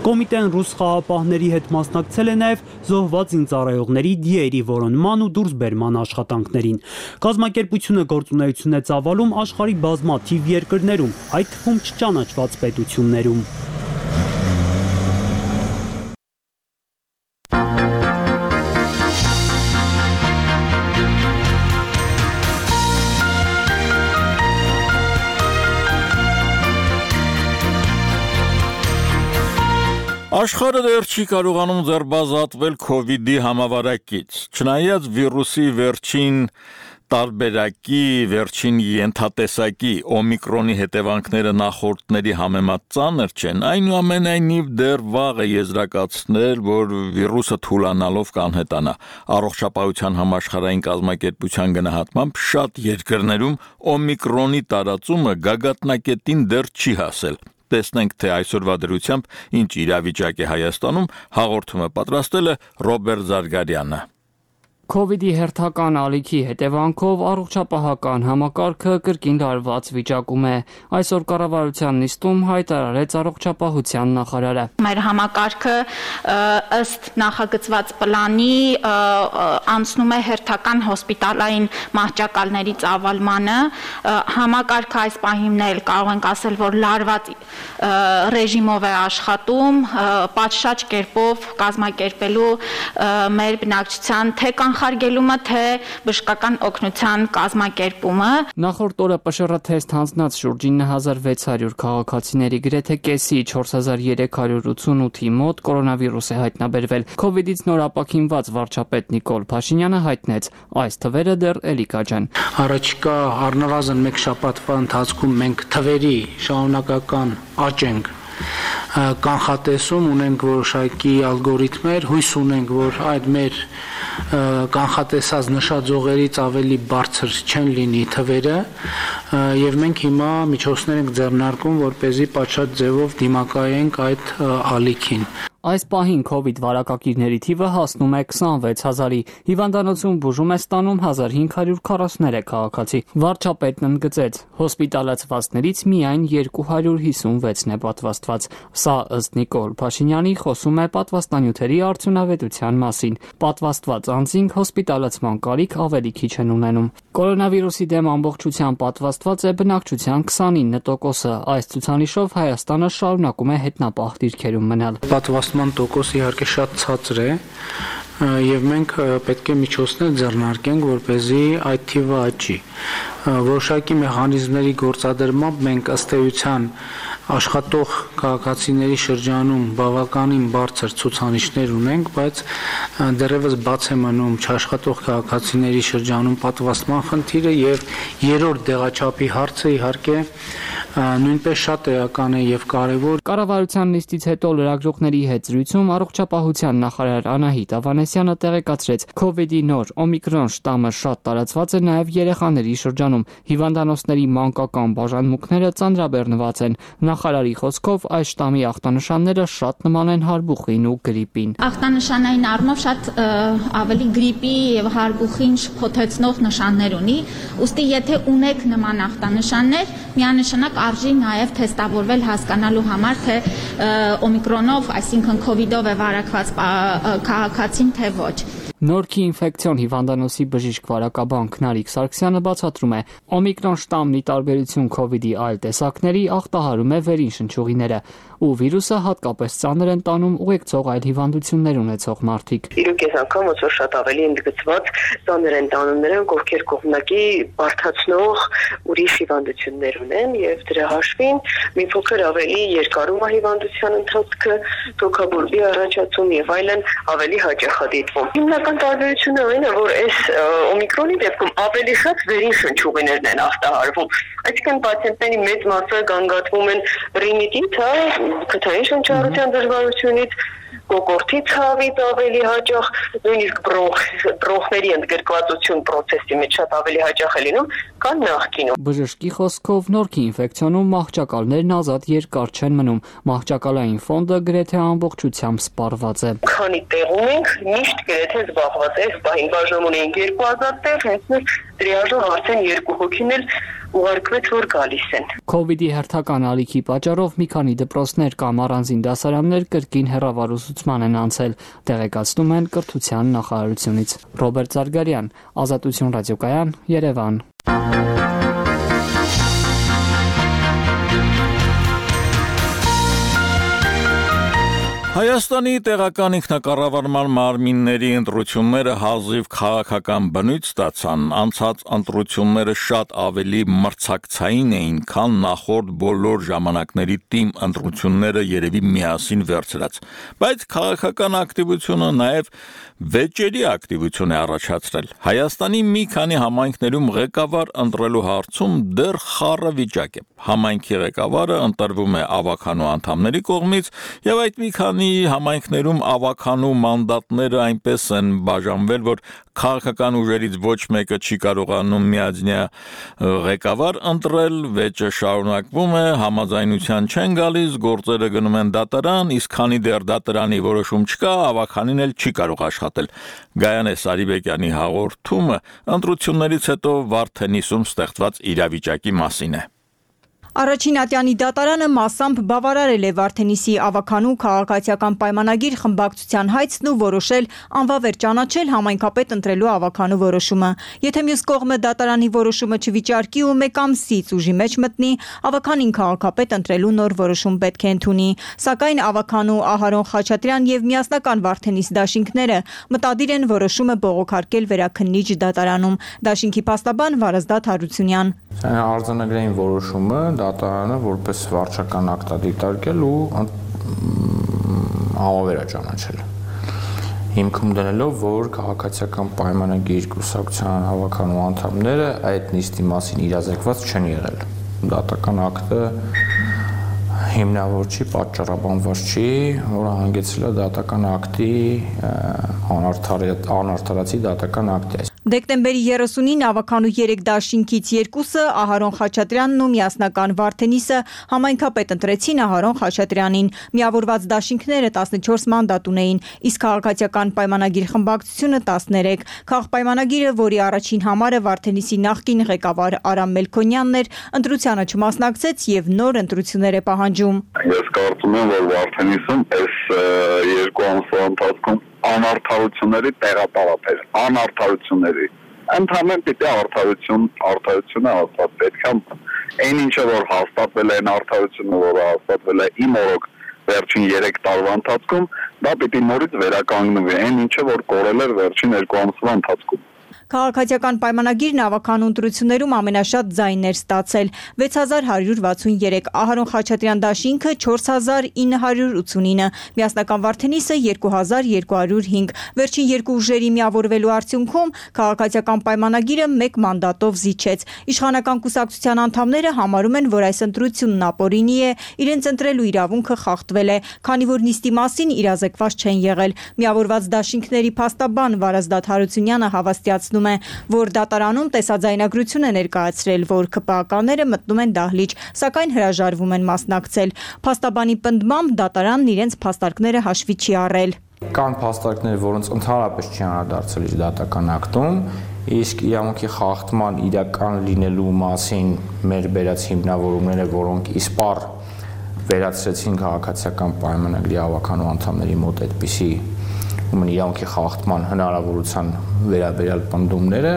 Կոմիտեն ռուս խաղապահների հետ մասնակցել է նաև զոհված զինծառայողների դիերի որոնման ու դուրսբերման աշխատանքներին։ Կազմակերպությունը գործունեություն է ծավալում աշխարհի բազմաթիվ երկրներում, այդ թվում չճանաչված պետություններում։ Աշխարհը դեռ չի կարողանում ձերբազատվել քովիդի համավարակից, չնայած վիրուսի վերջին տարբերակի, վերջին ենթատեսակի օմիկրոնի հետևանքները նախորդների համեմատ ծանր չեն, այնուամենայնիվ դեռ վաղ է եզրակացնել, որ վիրուսը թուլանալով կանհետանա։ Առողջապահության համաշխարհային կազմակերպության գնահատմամբ շատ երկրներում օմիկրոնի տարածումը գագաթնակետին դեռ չի հասել։ Տեսնենք, թե այսօրվա դրությամբ ինչ իրավիճակ է Հայաստանում, հաղորդումը պատրաստել է Ռոբերտ Զարգարյանը։ Քովիդի հերթական ալիքի հետևանքով առողջապահական համակարգը կրկին լարված վիճակում է։ Այսօր կառավարության նիստում հայտարարեց առողջապահության նախարարը։ Մեր համակարգը ըստ նախագծված պլանի անցնում է հերթական հոսպիտալային մահճակալների ծավալմանը։ Համակարգը այս պահին էլ կարող ենք ասել, որ լարված ռեժիմով է աշխատում, պատշաճ կերպով կազմակերպելու մեր բնակչության թե կանխարգելումը, թե բժշկական օգնության կազմակերպումը։ Նախորդ օրը Պ Շ R թեստ հանձնած շուրջ ինը հազար վեց հարյուր քաղաքացիների գրեթե կեսի չորս հազար երեք հարյուր ութսունութի մոտ կորոնավիրուս է հայտնաբերվել։ Քովիդից նոր ապաքինված վարչապետ Նիկոլ Փաշինյանը հայտնեց, այս թվերը դեռ էլի կաճեն։ Առաջիկա առնվազն մեկ շաբաթվա ընթացքում մենք թվերի շարունակական աճ ենք կանխատեսում, ունենք որոշակի ալգորիթմեր, հույս ունենք, որ այդ մեր կանխատեսած նշաձողերից ավելի բարձր չեն լինի թվերը, եւ մենք հիմա միջոցներ ենք ձեռնարկում, որպեսզի պատշաճ ձևով դիմակայենք այդ ալիքին։ Այս պահին քովիդ վարակակիրների թիվը հասնում է քսանվեց հազարի, հիվանդանոցում բուժում է ստանում հազար հինգ հարյուր քառասուներեք քաղաքացի։ Վարչապետն ընդգծեց, հոսպիտալացվածներից միայն երկու հարյուր հիսունվեցն է պատվաստված։ Սա ըստ Նիկոլ Փաշինյանի խոսում է պատվաստանյութերի արդյունավետության մասին։ Պատվաստված անձինք հոսպիտալացման կարիք ավելի քիչ են ունենում։ Կորոնավիրուսի դեմ ամբողջությամբ պատվաստված է բնակչության քսանինը տոկոսը։ Այս ցուցանիշով Հայաստանը շարունակում է հետնապահ դիրքերում մնալ։ Պատվաստման տոկոսը իհարկե շատ ցածր է եւ մենք պետք է միջոցներ ձեռնարկենք, որպեսզի այդ թիվը աճի։ Որոշակի մեխանիզմների գործադրմամբ մենք ըստ էության աշխատող քաղաքացիների շրջանում բավականին բարձր ցուցանիշներ ունենք, բայց դեռևս բաց է մնում չաշխատող քաղաքացիների շրջանում պատվաստման խնդիրը եւ երրորդ դեղաչափի հարցը իհարկե նույնպես շատ էական է եւ կարեւոր։ Կառավարության նիստից հետո լրագրողների հետ զրույցում առողջապահության նախարար Անահիտ Ավանեսյանը տեղեկացրեց, քովիդի նոր օմիկրոն շտամը շատ տարածված է նաեւ երեխաների շրջանում։ Հիվանդանոցների մանկական բաժանմունքները ծանրաբեռնված են։ Նախարարի խոսքով այս շտամի ախտանշանները շատ նման են հարբուխին ու գրիպին։ Ախտանշանային առումով շատ ավելի գրիպի եւ հարբուխին շփոթեցնող նշաններ ունի։ Ուստի եթե ունեք նման ախտանշաններ, միանշանակ արժի նաև թեստավորվել հասկանալու համար, թե օմիկրոնով, այսինքն քովիդով է վարակված քաղաքացին, թե ոչ։ Նորքի ինֆեկցիոն հիվանդանոցի բժիշկ վարակաբան Քնարիկ Սարգսյանը բացատրում է, օմիկրոն շտամի տարբերություն քովիդի այլ տեսակների ախտահարում է վերին շնչուղիները, ու վիրուսը հատկապես ծանր են տանում ուղեկցող այլ հիվանդություններ ունեցող մարդիկ։ Իրոք ես անգամ ոնց որ շատ ավելի ընդգծված ծանր են տանում նրանք, ովքեր կողմնակի բարդացնող ուրիշ հիվանդություններ ունեն, եւ դրա հաշվին մի փոքր ավելի երկարում է հիվանդության ընթացքը, թոքաբորբի առաջացում եւ այլն ավելի հաճախ է դիտվում։ Հիմնական տարբերությունը այն է, որ այս օմիկրոնի դեպքում ավելի շատ վերին շնչուղիներն են ախտահարվում։ Այսինքն պացիենտների մեծ մասը գանգատվում են ռինիտից, հա, քթային շնչառության դժվարությունից, կոկորտի ցավից ավելի հաճախ, նույնիսկ բրոնխների ընդգրկվածություն process-ի մեջ շատ ավելի հաճախ է լինում, քան նախկինում։ Բժշկի խոսքով նորքի ինֆեկցիոնում մահճակալներն ազատ երկար չեն մնում, մահճակալային ֆոնդը գրեթե ամբողջությամբ սպառված է։ Քանի տեղում ենք, միշտ գրեթե զբաղված է, բային բաժանում ունենք երկու հազար տեղ, հենց մեր տրիաժով արդեն երկու հոգին էլ ուղարկվեց, որ գալիս են։ Քովիդի հերթական ալիքի պատճառով մի քանի դպրոցներ կամ առանձին դասարաններ կրկին հեռավարուսուցման են անցել, տեղեկացնում են կրթության նախարարությունից։ Ռոբերտ Զարգարյան, Ազատություն ռադիոկայան, Երևան։ Հայաստանի տեղական ինքնակառավարման մարմինների ընտրությունները հազիվ քաղաքական բնույթ ստացան, անցած ընտրությունները շատ ավելի մրցակցային էին, քան նախորդ բոլոր ժամանակների թիմ ընտրությունները երևի միասին վերցրած, բայց քաղաքական ակտիվությունը նաև վեճերի ակտիվություն է առաջացրել։ Հայաստանի մի քանի համայնքներում ղեկավար ընտրելու հարցում դեռ խառը վիճակ է։ Համայնքի ղեկավարը ընտրվում է ավականու անդամների կողմից, եւ այդ մի քանի համայնքներում ավականու մանդատները այնպես են բաժանվել, որ քաղաքական ուժերից ոչ մեկը չի կարողանում միաձնյա ղեկավար ընտրել, վեճը շարունակվում է, համաձայնության չեն գալիս, գործերը գնում են դատարան, իսկ քանի դեռ դատարանի որոշում չկա, ավականին էլ չի կարող աշխատել։ Գայանե Սարիբեկյանի հաղորդումը ընտրություններից հետո Վարդենիսում ստեղծված իրավիճակի մասին է։ Առաջին ատյանի դատարանը մասամբ բավարարել է Վարդենիսի ավականու քաղաքացիական պայմանագիր խմբակցության հայցն ու որոշել անվավեր ճանաչել համայնքապետ ընտրելու ավականու որոշումը։ Եթե մյուս կողմը դատարանի որոշումը չվիճարկի ու մեկ ամսից ուժի մեջ մտնի, ավականին քաղաքապետ ընտրելու նոր որոշում պետք է ընդունի։ Սակայն ավականու Ահարոն Խաչատրյան եւ միասնական Վարդենիս դաշինքները մտադիր են որոշումը բողոքարկել վերաքննիչ դատարանում։ Դաշինքի փաստաբան Վարազդատ Հարությունյան։ Արձանագրային որոշումը դատարանը որպես վարչական ակտ դիտարկել ու համավերա ճանաչել։ Հիմքում դնելով, որ քաղաքացիական պայմանագիր կուսակցության հավաքանու անդամները այդ նիստի մասին իրազեկված չեն եղել։ Դատական ակտը հիմնավոր չի, պատճառաբանված չի, որը հանգեցրել է դատական ակտի անարդարացի դատական ակտի։ Դեկտեմբերի երեսունին ավականու երեք դաշինքից երկուսը Ահարոն Խաչատրյանն ու միասնական Վարդենիսը համայնքապետ ընտրեցին Ահարոն Խաչատրյանին։ Միավորված դաշինքները տասնչորս մանդատ ունեին, իսկ քաղաքացիական պայմանագիր խմբակցությունը տասներեք։ Քաղաքպայմանագիրը, որի առաջին համարը Վարդենիսի նախկին ղեկավար Արամ Մելքոնյանն էր, ընտրությանը չմասնակցեց եւ նոր ընտրություններ է պահանջում։ Ես կարծում եմ, որ Վարդենիսում այս երկու ամսվա ընթացքում անարդարությունների տեղատարապ էր, անարդարությունների։ Ընդհանրեն պիտի արդարություն, արդարությունը հաստատ պետք է այն ինչը որ հաստատվել է, այն արդարությունը, որը հաստատվել է իմ օրոք վերջին երեք տարվա ընթացքում, դա պիտի նորից վերականգնվի, այն ինչը որ կորել էր վերջին երկու ամսվա ընթացքում։ Քաղաքացիական պայմանագիրն ավականու ընտրություններում ամենաշատ ձայններ ստացել՝ վեց հազար հարյուր վաթսուներեք, Ահարոն Խաչատրյան դաշինքը չորս հազար ինը հարյուր ութսունինը, միասնական Վարդենիսը երկու հազար երկու հարյուր հինգ։ Վերջին երկու ուժերի միավորվելու արդյունքում քաղաքացիական պայմանագիրը մեկ մանդատով զիջեց։ Իշխանական կուսակցության անդամները համարում են, որ այս ընտրությունն ապօրինի է, իրենց ընտրելու իրավունքը խախտվել է, քանի որ նիստի մասին իրազեկված չեն եղել։ Միավորված դաշինքների փաստաբան Վարազդատ Հարությունյանը հավաստիացնում է, որ դատարանում տեսաձայնագրություն է ներկայացրել, որ ԿՊԱ-ականները մտնում են դահլիճ, սակայն հրաժարվում են մասնակցել։ Փաստաբանի պնդմամբ դատարանն իրենց փաստարկները հաշվի չի առել։ Կան փաստարկներ, որոնց ընդհանրապես չի անդրադարձել իր դատական ակտում, իսկ իրավունքի խախտման իրական լինելու մասին մեր բերած հիմնավորումները, որոնք իսպառ վերացրեցին քաղաքացիական պայմանագրի ավականու անդամների մոտ այդպիսի ուրեմն իրավունքի խախտման հնարավորության վերաբերյալ պնդումները,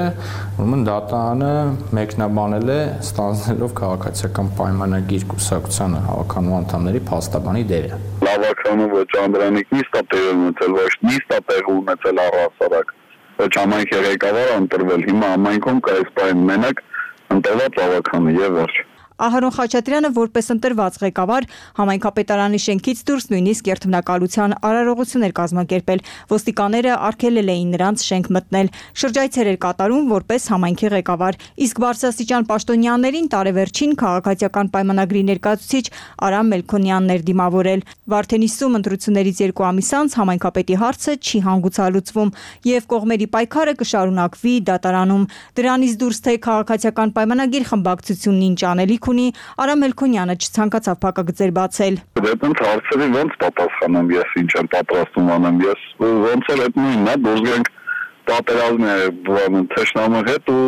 ուրեմն դատարանը մեկնաբանել է ստանձնելով քաղաքացիական պայմանագիր կուսակցության հավաքանու անդամների փաստաբանի դերը։ Լավականու ոչ Անդրանիկ նիստ է տեղ ունեցել, ոչ նիստ է տեղ ունեցել առհասարակ, ոչ համայնքի ղեկավարը ընտրվել, հիմա համայնքում կա այս պայն մենակ ընտրված լավականը եւ վերջ։ Ահարոն Խաչատրյանը որպես ընտրված ղեկավար համայնքապետարանի շենքից դուրս նույնիսկ երթմնակալության արարողություն էր կազմակերպել։ Ոստիկանները արգելել էին նրանց շենք մտնել։ Շրջայցեր էր կատարում որպես համայնքի ղեկավար, իսկ բարձրաստիճան պաշտոնյաներին տարեվերջին քաղաքացիական պայմանագրի ներկայացուցիչ Արամ Մելքոնյանն էր դիմավորել։ Վարդենիսում ընտրություններից երկու ամիս անց համայնքապետի հարցը չի հանգուցալուծվում եւ կողմերի պայքարը կշարունակվի դատարանում։ Դրանից դուրս թե քաղաքացիական պայմանագիր խմբակցությունն ինչ անելիք ունի, Արամ Մելքոնյանը չցանկացավ փակագծեր բացել։ Դեպի հարցերի ոնց պատասխանեմ ես, ինչ եմ պատրաստում անեմ ես, ոնց էլ այդ նույնն է, դուրս գանք պատերազմի բանը թշնամու հետ ու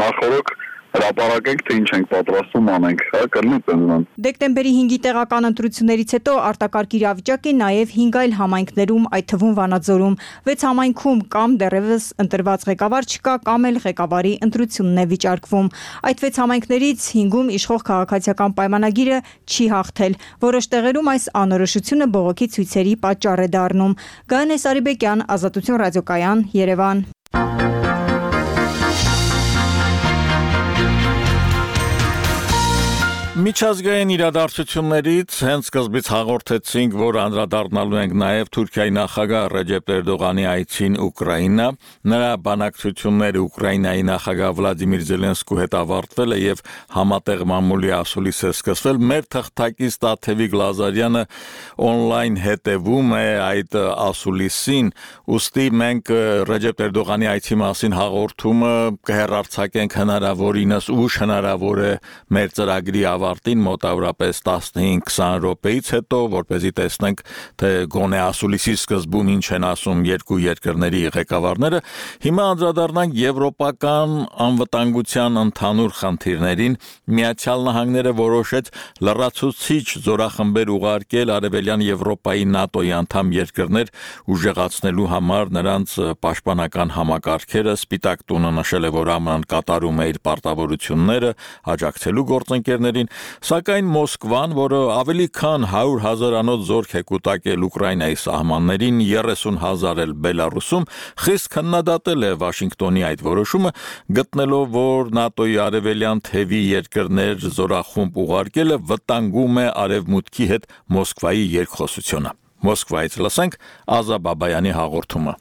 նախորդ հրապարակենք թե ինչ ենք պատրաստում անենք, հա, կլինի տենման։ Դեկտեմբերի հինգի տեղական ընտրություններից հետո արտակարգ իրավիճակ է նաև հինգ այլ համայնքներում, այդ թվում Վանաձորում։ Վեց համայնքում կամ դեռևս ընտրված ղեկավար չկա, կամ էլ ղեկավարի ընտրությունն է վիճարկվում։ Այդ վեց համայնքներից հինգում իշխող քաղաքացիական պայմանագիրը չի հաղթել։ Որոշ տեղերում այս անորոշությունը բողոքի ցույցերի պատճառ է դառնում։ Գայանե Սարիբեկյան, Ազատություն ռադիոկայան, Երևան։ Միջազգային իրադարձություններից հենց սկզբից հաղորդեցինք, որ անդրադառնալու ենք նաև Թուրքիայի նախագահ Ռեջեփ Էրդողանի այցին Ուկրաինա։ Նրա բանակցությունները Ուկրաինայի նախագահ Վլադիմիր Զելենսկու հետ ավարտվել է եւ համատեղ մամուլի ասուլիս է սկսվել։ Մեր թղթակից Տաթևիկ Լազարյանը on-line հետևում է այդ ասուլիսին, ուստի մենք Ռեջեփ Էրդողանի այցի մասին հաղորդումը կհեռարձակենք հնարավորինս ուշ հնարավոր է մեր ծրագրի ավարտին մոտավորապես տասնհինգ քսան րոպեից հետո, որպեսզի տեսնենք, թե գոնե ասուլիսի սկզբում ինչ են ասում երկու երկրների ղեկավարները։ Հիմա անդրադառնանք եվրոպական անվտանգության ընդհանուր խնդիրներին։ Միացյալ Նահանգները որոշեց լրացուցիչ զորախմբեր ուղարկել Արևելյան Եվրոպայի ՆԱՏՕ-ի անդամ երկրներ ուժեղացնելու համար նրանց պաշտպանական համակարգերը։ Սպիտակ տունը նշել է, որ ԱՄՆ-ն կատարում է իր պարտավորությունները աջակցելու գործընկերներին, սակայն Մոսկվան, որը ավելի քան հարյուր հազարանոց զորք է կուտակել Ուկրաինայի սահմաններին, երեսուն հազար էլ Բելարուսում, խիստ քննադատել է Վաշինգտոնի այդ որոշումը, գտնելով, որ ՆԱՏՕ-ի արևելյան թևի երկրներ զորախումբ ուղարկելը վտանգում է արևմուտքի հետ Մոսկվայի երկխոսությունը։ Մոսկվայից լսենք Ազա Բաբայանի հաղորդումը։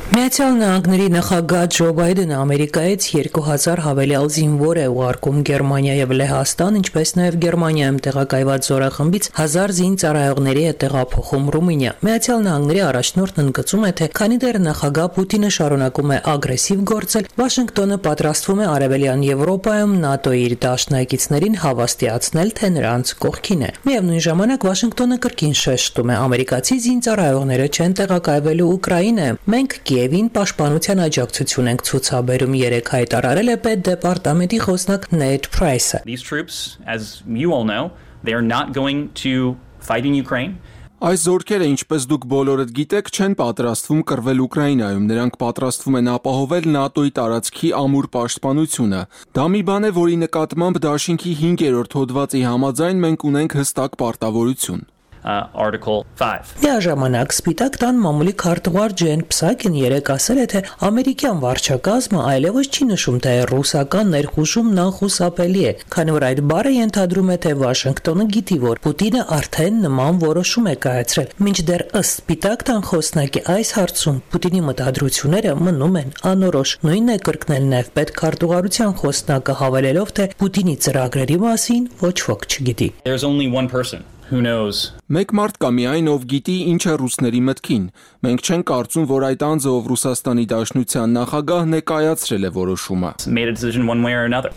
Միացյալ Նահանգների նախագահ Ջո Բայդենը Ամերիկայից երկու հազար հավելյալ զինվոր է ուղարկում Գերմանիա եւ Լեհաստան, ինչպես նաեւ Գերմանիայում տեղակայված զորախմբից հազար զինծառայողների է տեղափոխում Ռումինիա։ Միացյալ Նահանգների առաջնորդն ընդգծում է, թե քանի դեռ նախագահ Պուտինը շարունակում է ագրեսիվ գործել, Վաշինգտոնը պատրաստվում է Արևելյան Եվրոպայում ՆԱՏՕ-ի իր դաշնակիցներին հավաստիացնել, թե նրանց կողքին է։ Միևնույն ժամանակ Վաշինգտոնը կրկին շեշտում է, ամերիկացի զինծառայողները չեն տեղակայվելու Ուկրաինայում։ Մենք Կիևին պաշտպանության աջակցություն ենք ցուցաբերում, երեք հայտարարել է պետդեպարտամենտի խոսնակ Նեյթ Փրայսը։ These troops, as you all know, they are not going to fight in Ukraine. Այս զորքերը, ինչպես դուք բոլորդ գիտեք, չեն պատրաստվում կռվել Ուկրաինայում, նրանք պատրաստվում են ապահովել ՆԱՏՕ-ի տարածքի ամուր պաշտպանությունը։ Դա մի բան է, որի նկատմամբ դաշինքի հինգերորդ հոդվածի համաձայն մենք ունենք հստակ պարտավորություն։ Uh, Article five. Միաժամանակ Սպիտակ տան մամուլի քարտուղար Ջեն Փսակին երեկ ասել է, թե ամերիկյան վարչակազմը այլևս չի նշում, թե ռուսական ներխուժումն անխուսափելի է, քանի որ այդ բառը ենթադրում է, թե Վաշինգտոնը գիտի, որ Պուտինը արդեն նման որոշում է կայացրել։ Մինչդեռ ըստ Սպիտակ տան խոսնակի այս հարցում Պուտինի մտադրությունները մնում են անորոշ։ Նույնն է կրկնել նաև պետքարտուղարության խոսնակը, հավելելով, թե Պուտինի ծրագրերի մասին ոչ ոք չգիտի։ There's only one person who knows. Մեկ մարդ կա միայն, ով գիտի ինչ է ռուսների մտքին։ Մենք չենք կարծում, որ այդ անձը, ով Ռուսաստանի Դաշնության նախագահն է, կայացրել է որոշումը։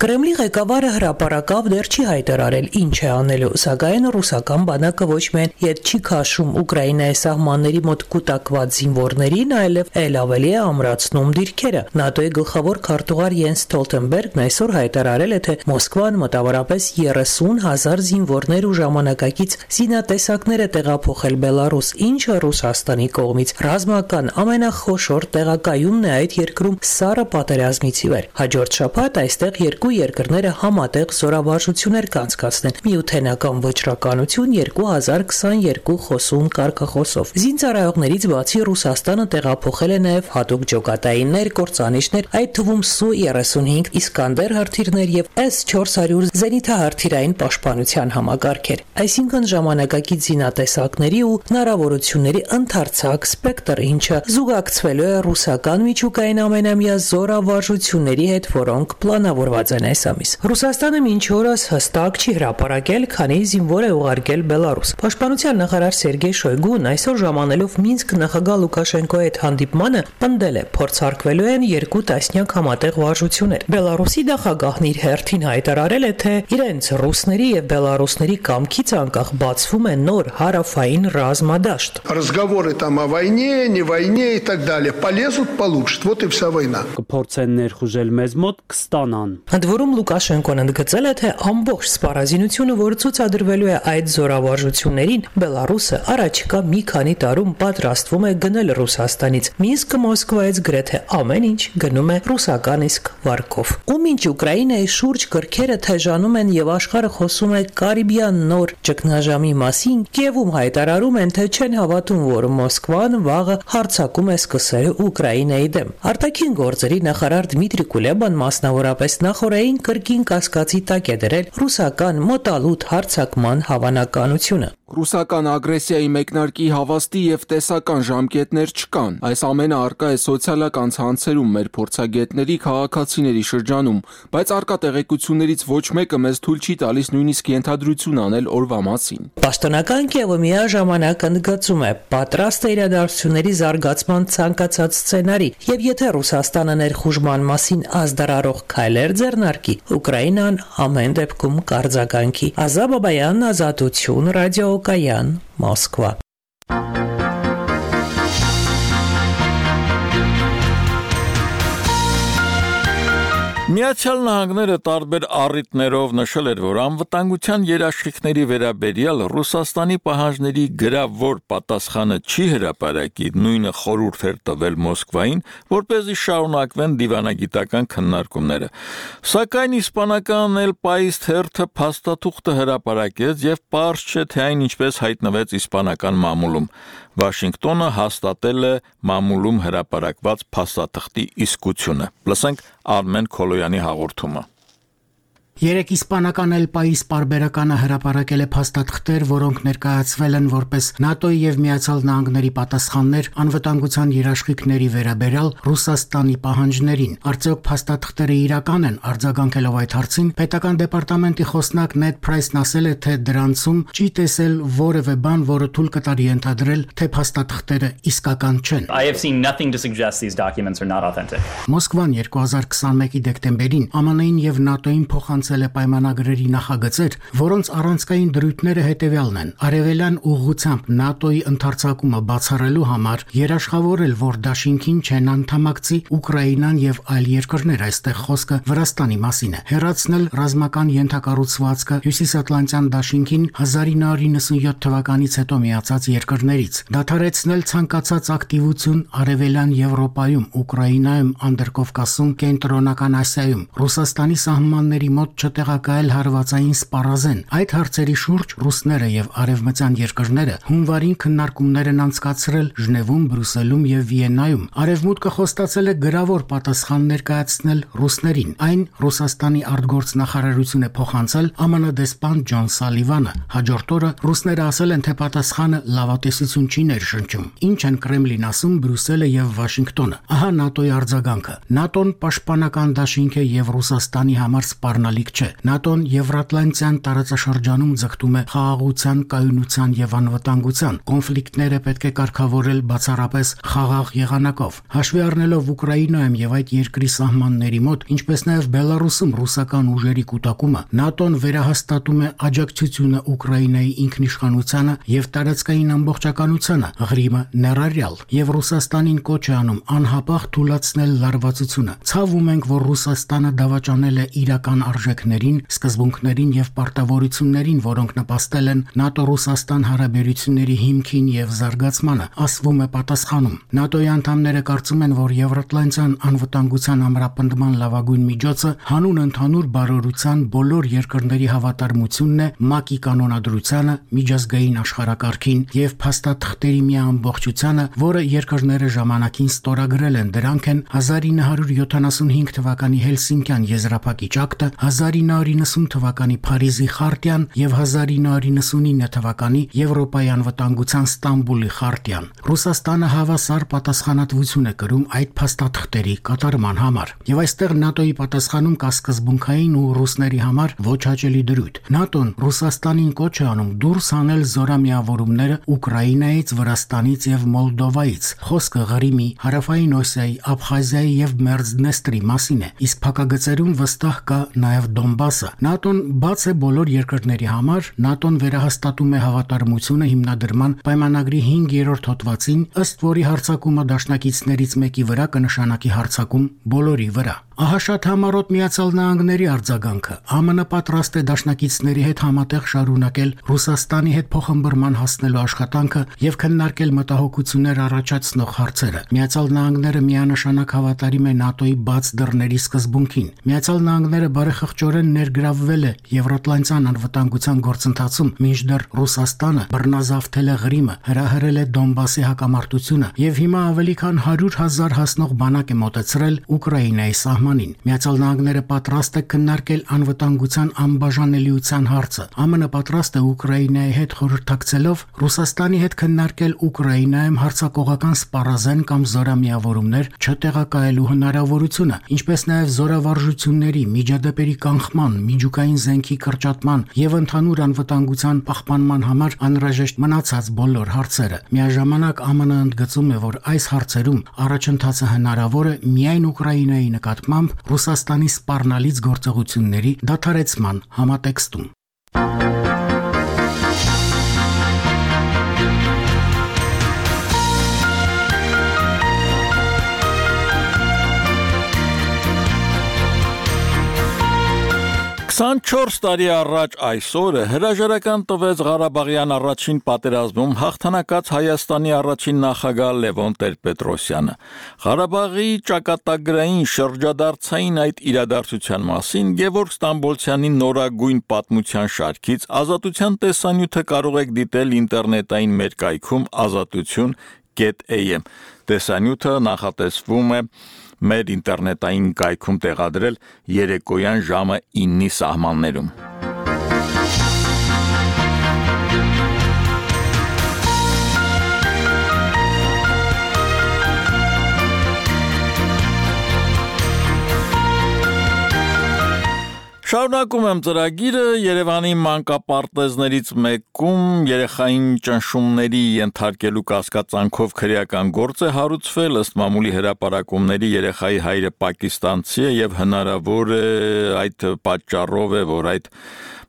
Կրեմլի ղեկավարը հրապարակավ դեռ չի հայտարարել ինչ է անելու, սակայն ռուսական բանակը ոչ միայն ետ չի քաշում Ուկրաինայի սահմանների մոտ կուտակված զինվորներին, այլև ել ավելի է ամրացնում դիրքերը։ ՆԱՏՕ-ի գլխավոր քարտուղար Յենս Ստոլտենբերգն այսօր հայտարարել է, թե Մոսկվան մոտավորապես երեսուն հազար զինվորներ ու ժամանակակից զինատեսակ զինյալ տեղափոխել Բելարուս, ինչը Ռուսաստանի կողմից ռազմական ամենախոշոր տեղակայումն է այդ երկրում սառը պատերազմից ի վեր։ Հաջորդ շաբաթ այստեղ երկու երկրները համատեղ զորավարժություններ կանցկացնեն միութենական վճռականություն երկու հազար քսաներկու խոսուն կարգախոսով։ Զինծառայողներից բացի Ռուսաստանը տեղափոխել է նաև հատուկ ջոկատայիններ, կործանիչներ, այդ թվում Սու երեսունհինգ Իսկանդեր հրթիռներ եւ էս չորս հարյուր զենիթահրթիռային պաշտպանության համակարգեր, այսինքն ժամանակակից զինատեսակների ու հնարավորությունների ընդարձակ սպեկտր, ինչը զուգակցվելու է ռուսական միջուկային ամենամյա զորավարժությունների հետ, որոնք պլանավորված են այս ամիս։ Ռուսաստանը մինչ օրս հստակ չի հրապարակել, քանի զինվոր է ուղարկել Բելարուս։ Պաշտպանության նախարար Սերգեյ Շոյգուն այսօր ժամանելով Մինսկ նախագահ Լուկաշենկոյի հետ հանդիպմանը պնդել է, փորձարկվելու են երկու տասնյակ համատեղ վարժություններ։ Բելարուսի նախագահն իր հերթին հայտարարել է, թե իրենց ռուսների եւ բելարուսների կամքից անկախ բացվում է նոր հարավային ռազմադաշտ։ Разговоры там о войне, не войне и так далее полезут, получат. Вот и вся война. Կփորձեն ներխուժել մեզ մոտ, կստանան։ Ընդ որում Լուկաշենկոն ընդգծել է, թե ամբողջ սպառազինությունը, որ ցուցադրվելու է այդ զորավարժություններին, Բելարուսը առաջիկա մի քանի տարում պատրաստվում է գնել Ռուսաստանից։ Մինսկը Մոսկվայից գրեթե ամեն ինչ գնում է ռուսական իսկ վարկով։ Ու մինչ Ուկրաինայի շուրջ գրքերը թեժանում են եւ աշխարհը խոսում է Կարիբյան նոր ճգնաժամի մասին, Կիևում հայտարարում են, թե չեն հավատում, որ Մոսկվան վաղը հարձակում է սկսել Ուկրաինայի դեմ։ Արտաքին գործերի նախարար Դմիտրի Կուլեբան մասնավորապես նախորդային կրկին կասկածի տակ է դրել ռուսական մոտալուտ հարձակման հավանականությունը։ Ռուսական ագրեսիայի մեկնարկի հավաստի եւ տեսական ժամկետներ չկան։ Այս ամենը արկա է սոցիալական ցանցերում մեր փորձագետների, քաղաքացիների շրջանում, բայց արկա տեղեկություններից ոչ մեկը մեզ թույլ չի տալիս նույնիսկ ենթադրություն անել օրվա մասին։ Պաշտոնական Կիևը միաժամանակ ընդգծում է պատրաստ է իրադարձությունների զարգացման ցանկացած սցենարի, եւ եթե Ռուսաստանը ներխուժման մասին ազդարարող քայլեր ձեռնարկի, Ուկրաինան ամեն դեպքում կարձագանքի։ Ազա Բաբայան, Ազատություն, Ռադիոկայան, Մոսկվա։ Միացյալ Նահանգները տարբեր առիթներով նշել էր, որ անվտանգության երաշխիքների վերաբերյալ Ռուսաստանի պահանջների գրավոր պատասխանը չի հրապարակի, նույնը խորհուրդ էր տվել Մոսկվային, որպեսզի շարունակվեն դիվանագիտական քննարկումները։ Սակայն իսպանական El País թերթը փաստաթուղթը հրապարակեց եւ պարզ չէ, թե այն ինչպես հայտնվեց իսպանական մամուլում։ Վաշինգտոնը հաստատել է մամուլում հրապարակված փաստաթղթի իսկությունը։ Լսենք Արմեն Քոլոյանի հաղորդումը։ Երեք իսպանական El País պարբերականը հրապարակել է փաստաթղթեր, որոնք ներկայացվել են որպես ՆԱՏՕ-ի եւ Միացյալ Նահանգների պատասխաններ անվտանգության երաշխիքների վերաբերյալ Ռուսաստանի պահանջներին։ Արդյոք փաստաթղթերը իրական են, արձագանքելով այդ հարցին, պետական դեպարտամենտի խոսնակ Նեդ Փրայսն ասել է, թե դրանցում չի տեսել որևէ բան, որը թույլ կտար ենթադրել, թե փաստաթղթերը իսկական չեն։ I have seen nothing to suggest these documents are not authentic. Մոսկվան երկու հազար քսաներկու դեկտեմբերին ԱՄՆ-ին եւ ՆԱՏՕ-ին փոխանցել է պայմանագրերի նախագծեր, որոնց առանցքային դրույթները հետևյալն են. Արևելյան ուղղությամբ ՆԱՏՕ-ի ընդարձակումը բացառելու համար երաշխավորել, որ դաշինքին չեն անդամակցի Ուկրաինան եւ այլ երկրներ, այստեղ խոսքը Վրաստանի մասին է, հեռացնել ռազմական ենթակառուցվածքը Հյուսիսատլանտյան դաշինքին հազար ինը հարյուր նվաթ թվականից հետո միացած երկրներից, դադարեցնել ցանկացած ակտիվություն Արևելյան Եվրոպայում, Ուկրաինայում, Անդրկովկասում, Կենտրոնական Ասիայում, Ռուսաստանի սահմանների մոտ չտեղակայել հարվածային սպառազեն։ Այդ հարցերի շուրջ ռուսները եւ արևմտյան երկրները հունվարին քննարկումներ են անցկացրել Ժնևում, Բրյուսելում եւ Վիեննայում։ Արևմուտքը խոստացել է գրավոր պատասխան ներկայացնել ռուսներին։ Այն Ռուսաստանի արտգործնախարարություն է փոխանցել ԱՄՆ դեսպան Ջոն Սալիվանը։ Հաջորդ օրը ռուսները ասել են, թե պատասխանը լավատեսություն չի ներշնչում։ Ինչ են Կրեմլին ասում Բրյուսելը եւ Վաշինգտոնը։ Ահա ՆԱՏՕ-ի արձագանքը։ ՆԱՏՕ-ն պաշտպանական դաշինք է եւ Ռուսաստանի համար սպառնալիք չէ։ ՆԱՏՕ-ն Եվրատլանտյան տարածաշրջանում ձգտում է խաղաղության, կայունության եւ անվտանգության։ Կոնֆլիկտները պետք է կարգավորել բացառապես խաղաղ եղանակով։ Հաշվի առնելով Ուկրաինայում եւ այդ երկրի սահմանների մոտ, ինչպես նաեւ Բելարուսում ռուսական ուժերի կուտակումը, ՆԱՏՕ-ն վերահաստատում է աջակցությունը Ուկրաինայի ինքնիշխանությանը եւ տարածքային ամբողջականությանը, Ղրիմը ներառյալ, եւ Ռուսաստանին կոչ է անում անհապաղ թույլատրել լարվածությունը։ Ցավում ենք, որ Ռուսաստանը դավաճանել է իրական արժեքները արժեքներին, սկզբունքներին եւ պարտավորություններին, որոնք նպաստել են ՆԱՏՕ-Ռուսաստան հարաբերությունների հիմքին եւ զարգացմանը, ասվում է պատասխանում։ ՆԱՏՕ-ի անդամները կարծում են, որ Եվրատլանտյան անվտանգության ամրապնդման լավագույն միջոցը հանուն ընդհանուր բարօրության բոլոր երկրների հավատարմությունն է ՄԱԿ-ի կանոնադրությանը, միջազգային աշխարհակարգին եւ փաստաթղթերի մի ամբողջությանը, որը երկրները ժամանակին ստորագրել են։ Դրանք են հազար ինը հարյուր յոթանասունհինգ թվականի Հելսինկյան եզրափակիչ ակտը, հազար ինը հարյուր նվսուն թվականի Փարիզի խարտիան եւ հազար ինը հարյուր նվսունինը թվականի Եվրոպայի անվտանգության Ստամբուլի խարտիան։ Ռուսաստանը հավասար պատասխանատվություն է կրում այդ փաստաթղթերի կատարման համար։ Եվ այստեղ ՆԱՏՕ-ի պատասխանում կա սկզբունքային ու ռուսների համար ոչ հաճելի դրույթ։ ՆԱՏՕ-ն Ռուսաստանին կոչ է անում դուրս հանել զորամիավորումները Ուկրաինայից, Վրաստանից եւ Մոլդովայից։ Խոսքը Ղրիմի, Հարավային Օսիայի, Աբխազիայի եւ Մերձդնեստրի մասին է, իսկ փակագծերում վստահ կա նաեւ Դոնբասը։ ՆԱՏՕ-ն բաց է բոլոր երկրների համար, ՆԱՏՕ-ն վերահաստատում է հավատարմությունը հիմնադրման պայմանագրի հինգերորդ հոդվածին, ըստ որի հարձակումը դաշնակիցներից մեկի վրա կնշանակի հարձակում բոլորի վրա։ Ահա շատ համառոտ Միացյալ Նահանգների արձագանքը։ ԱՄՆ պատրաստ է դաշնակիցների հետ համատեղ շարունակել Ռուսաստանի հետ փոխհմբռնման հասնելու աշխատանքը եւ քննարկել մտահոգություններ առաջացնող հարցերը։ Միացյալ Նահանգները միանշանակ հավատարիմ է ՆԱՏՕ-ի բաց դռների սկզբունքին։ Միացյալ Նահանգները բարեխղճորեն ներգրավվել է Եվրատլանտյան անվտանգության գործընթացում, մինչդեռ Ռուսաստանը բռնազավթել է Ղրիմը, հրահրել է Դոնբասի հակամարտությունը եւ հիմա ավելի քան հարյուր հազար հասնող բանակ է մոտեցրել Ուկրաինայի սահմանին։ Միացյալ Նահանգները պատրաստ է քննարկել անվտանգության անբաժանելիության հարցը։ ԱՄՆ պատրաստ է Ուկրաինայի հետ խորհրդակցելով Ռուսաստանի հետ քննարկել Ուկրաինայում հարձակողական սպառազեն կամ զորամիավորումներ չտեղակայելու հնարավորությունը, ինչպես նաև զորավարժությունների, միջադեպերի կանխման, միջուկային զենքի կրճատման եւ ընդհանուր անվտանգության պահպանման համար անհրաժեշտ մնացած բոլոր հարցերը։ Միաժամանակ ԱՄՆ ընդգծում է, որ այս հարցերում առաջընթացը հնարավոր է միայն Ուկրաինայի նկատմամբ Ռուսաստանի սպառնալից գործողությունների դադարեցման համատեքստում։ քսանչորս տարի առաջ այսօրը հրաժարական տվեց Ղարաբաղյան առաջին պատերազմում հաղթանակած Հայաստանի առաջին նախագահ Լևոն Տեր-Պետրոսյանը։ Ղարաբաղի ճակատագրային շրջադարձային այդ իրադարձության մասին Գևորգ Ստամբոլցյանի նորագույն պատմության շարքից Ազատության տեսանյութը կարող եք դիտել ինտերնետային մեր կայքում ազատություն կետ էյ էմ։ Տեսանյութը նախատեսվում է մեր ինտերնետային կայքում տեղադրել երեկոյան ժամը ինի սահմաններում։ Շարունակում եմ ծրագիրը Երևանի մանկապարտեզներից մեկում երեխային ճնշումների ենթարկելու կասկածանքով քրեական գործ է հարուցվել, ըստ մամուլի հրապարակումների երեխայի հայրը պակիստանցի է եւ հնարավոր է այդ պատճառով է, որ այդ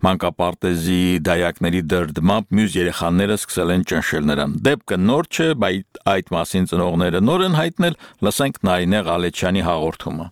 մանկապարտեզի դայակների դրդմամբ մյուս երեխաները սկսել են ճնշել նրան։ Դեպքը նոր չէ, բայց այդ մասին ծնողները նոր են հայտնել, լսենք Նարինե Ղալեչյանի հաղորդումը։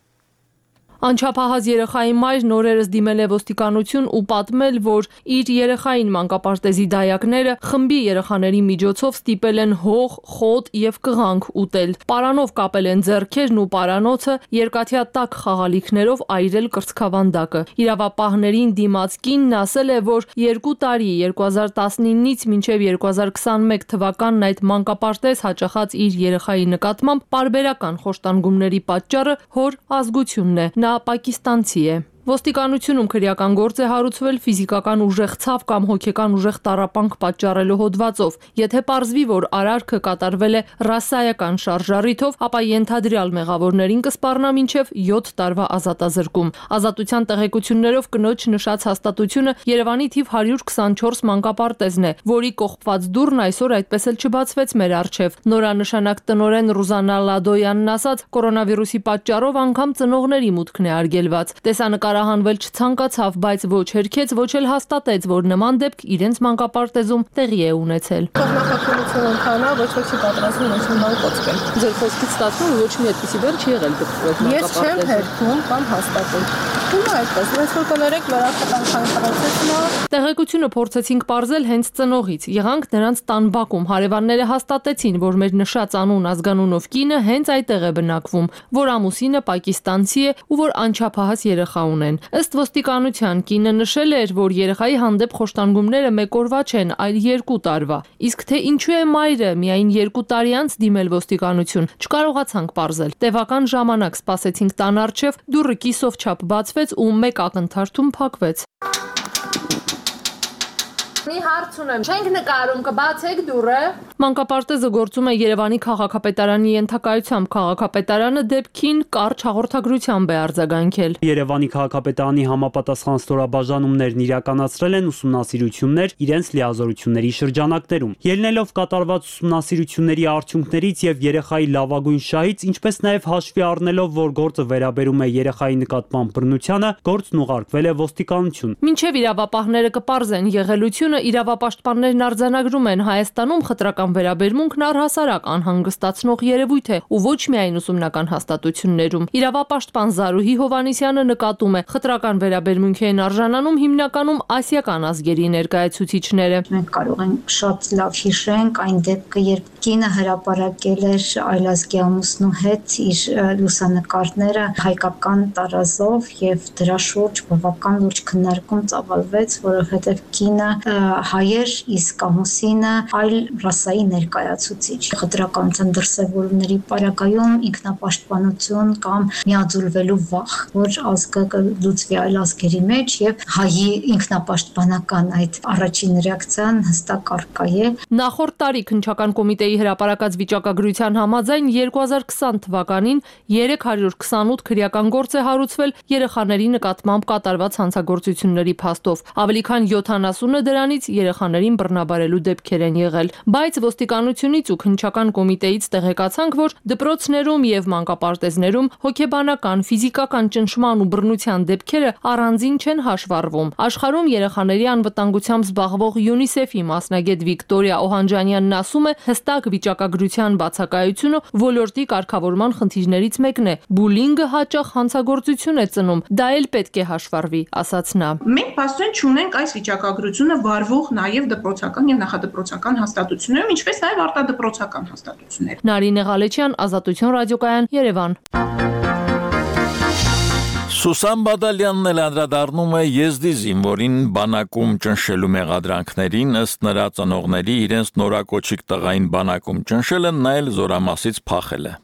Անչափահաս երեխայի մայրն օրերս դիմել է ոստիկանություն ու պատմել, որ իր երեխային մանկապարտեզի դայակները խմբի երեխաների միջոցով ստիպել են հող, խոտ եւ կղանք ուտել։ Պարանով կապել են ձեռքերն ու պարանոցը, երկաթյա տաք խաղալիքներով այրել կրծքավանդակը։ Իրավապահներին դիմաց կինն ասել է, որ երկու տարի երկու հազար տասնինից մինչև երկու հազար քսանմեկ թվականն այդ մանկապարտեզ հաճախած իր երեխայի նկատմամբ պարբերական խոշտանգումների պատճառը հոր ազգությունն է։ Նա պակիստանցի է։ Ոստիկանությունում քրեական գործ է հարուցվել ֆիզիկական ուժեղ ցավ կամ հոգեկան ուժեղ տառապանք պատճառելու հոդվածով։ Եթե պարզվի, որ արարքը կատարվել է ռասայական շարժառիթով, ապա ենթադրյալ մեղավորներին կսպառնա մինչև յոթ տարվա ազատազրկում։ Ազատության տեղեկություններով կնոջ նշած հաստատությունը Երևանի թիվ հարյուր քսանչորս մանկապարտեզն է, որի կողպված դուռն այսօր այդպես էլ չբացվեց մեր առջև։ Նորանշանակ տնօրեն Ռուզանա Լադոյանն ասաց, կորոնավիրուսի պատճառով անգամ ծնողների մուտքն է արգելված։ Տեսանկար Հանվել չցանկացավ, բայց ոչ հերքեց, ոչ էլ հաստատեց, որ նման դեպք իրենց մանկապարտեզում տեղի է ունեցել։ Նախաքննություն ընթանա, ոչ ոք չի պատրաստվում ոչ մի բան կոչել։ Ձեր խոսքից ստացվում է ոչ մի այդպիսի բան չի եղել դեպքում։ Ես չեմ հերքում կամ հաստատում։ Հիմա այդպես, ոնց որ կներեք վերախտանքային process-ը։ Տեղեկությունը փորձեցինք ողջել հենց ծնողից։ Եղանք նրանց տան բակում։ Հարևանները հաստատեցին, որ մեր նշած անուն ազգանունով կինը հենց այդտեղ է բնակվում, որ ամուսինը պակիստանցի է ու որ անչափահաս երեխա ունեն։ Ըստ ոստիկանության կինը նշել էր, որ երեխայի հանդեպ խոշտանգումները մեկ օրվա չեն, այլ երկու տարվա։ Իսկ թե ինչու է մայրը միայն երկու տարի անց դիմել ոստիկանություն, չկարողացանք պարզել։ Տևական ժամանակ սպասեցինք տան առջև, դուռը կիսով չափ բացվեց ու մեկ ակնթարթում փակվեց։ Մի հարց ունեմ, չենք նկարում, կբացեք դուռը։ Մանկապարտեզը գործում է Երևանի քաղաքապետարանի ենթակայությամբ, քաղաքապետարանը դեպքին կարճ հաղորդագրությամբ է արձագանքել։ Երևանի քաղաքապետարանի համապատասխան ստորաբաժանումներն իրականացրել են ուսումնասիրություններ իրենց լիազորությունների շրջանակներում։ Ելնելով կատարված ուսումնասիրությունների արդյունքներից եւ երեխայի լավագույն շահից, ինչպես նաեւ հաշվի առնելով, որ գործը վերաբերում է երեխայի նկատմամբ բռնությանը, գործն ուղարկվել է ոստիկանություն։ Մինչև իրավապահները կպարզեն եղելությունը, իրավապաշտպաններն արձանագրում են Հայաստանում խտրական վերաբերմունքն առհասարակ անհանգստացնող երևույթ է ու ոչ միայն ուսումնական հաստատություններում։ Իրավապաշտպան Զարուհի Հովանիսյանը նկատում է, խտրական վերաբերմունքի են արժանանում հիմնականում ասիական ազգերի ներկայացուցիչները։ Մենք կարող ենք շատ լավ հիշենք այն դեպքը, երբ կինը հրապարակել էր այլազգի ամուսնու հետ իր լուսանկարները հայկական տարազով եւ դրա շուրջ բավական լուրջ քննարկում ծավալվեց, որովհետեւ կինը հայեր, իսկ ամուսինը այլ ռասայի ներկայացուցիչ։ Խտրականության դրսևորումների պարագայում ինքնապաշտպանություն կամ միաձուլվելու վախ, որ ազգը կլուծվի այլ ազգերի մեջ եւ հայի ինքնապաշտպանական այդ առաջին ռեակցիան հստակ առկա է։ Նախորդ տարի քննչական կոմիտեի հրապարակած վիճակագրության համաձայն երկու հազար քսան թվականին երեք հարյուր քսանութ քրեական գործ է հարուցվել երեխաների նկատմամբ կատարված հանցագործությունների փաստով։ Ավելի քան յոթանասունը դրանից երեխաներին բռնաբարելու դեպքեր են եղել, բայց ոստիկանությունից ու քննչական կոմիտեից տեղեկացանք, որ դպրոցներում եւ մանկապարտեզներում հոգեբանական, ֆիզիկական ճնշման ու բռնության դեպքերը առանձին չեն հաշվառվում։ Աշխարհում երեխաների անվտանգությամբ զբաղվող ՅՈՒՆԻՍԵՖ-ի մասնագետ Վիկտորիա Օհանջանյանն ասում է, հստակ վիճակագրության բացակայությունը ոլորտի կարգավորման խնդիրներից մեկն է։ Բուլինգը հաճախ հանցագործություն է ծնում, դա էլ պետք է հաշվառվի, ասաց նա։ Մենք փաստորեն չունենք այս վիճակագրությունը վարվող նաև դպրոցական եւ նախադպրոցական հաստատություններում, ինչպես նաև արտադպրոցական հաստատություններ։ Նարինե Ղալեչյան, Ազատություն ռադիոկայան, Երևան։ Սուսան Բադալյանն էլ անդրադառնում է Եզդի զինվորին բանակում ճնշելու մեղադրանքներին, ըստ նրա ծնողների իրենց նորակոչիկ տղային բանակում ճնշելը նա էլ զորամասից փախել է։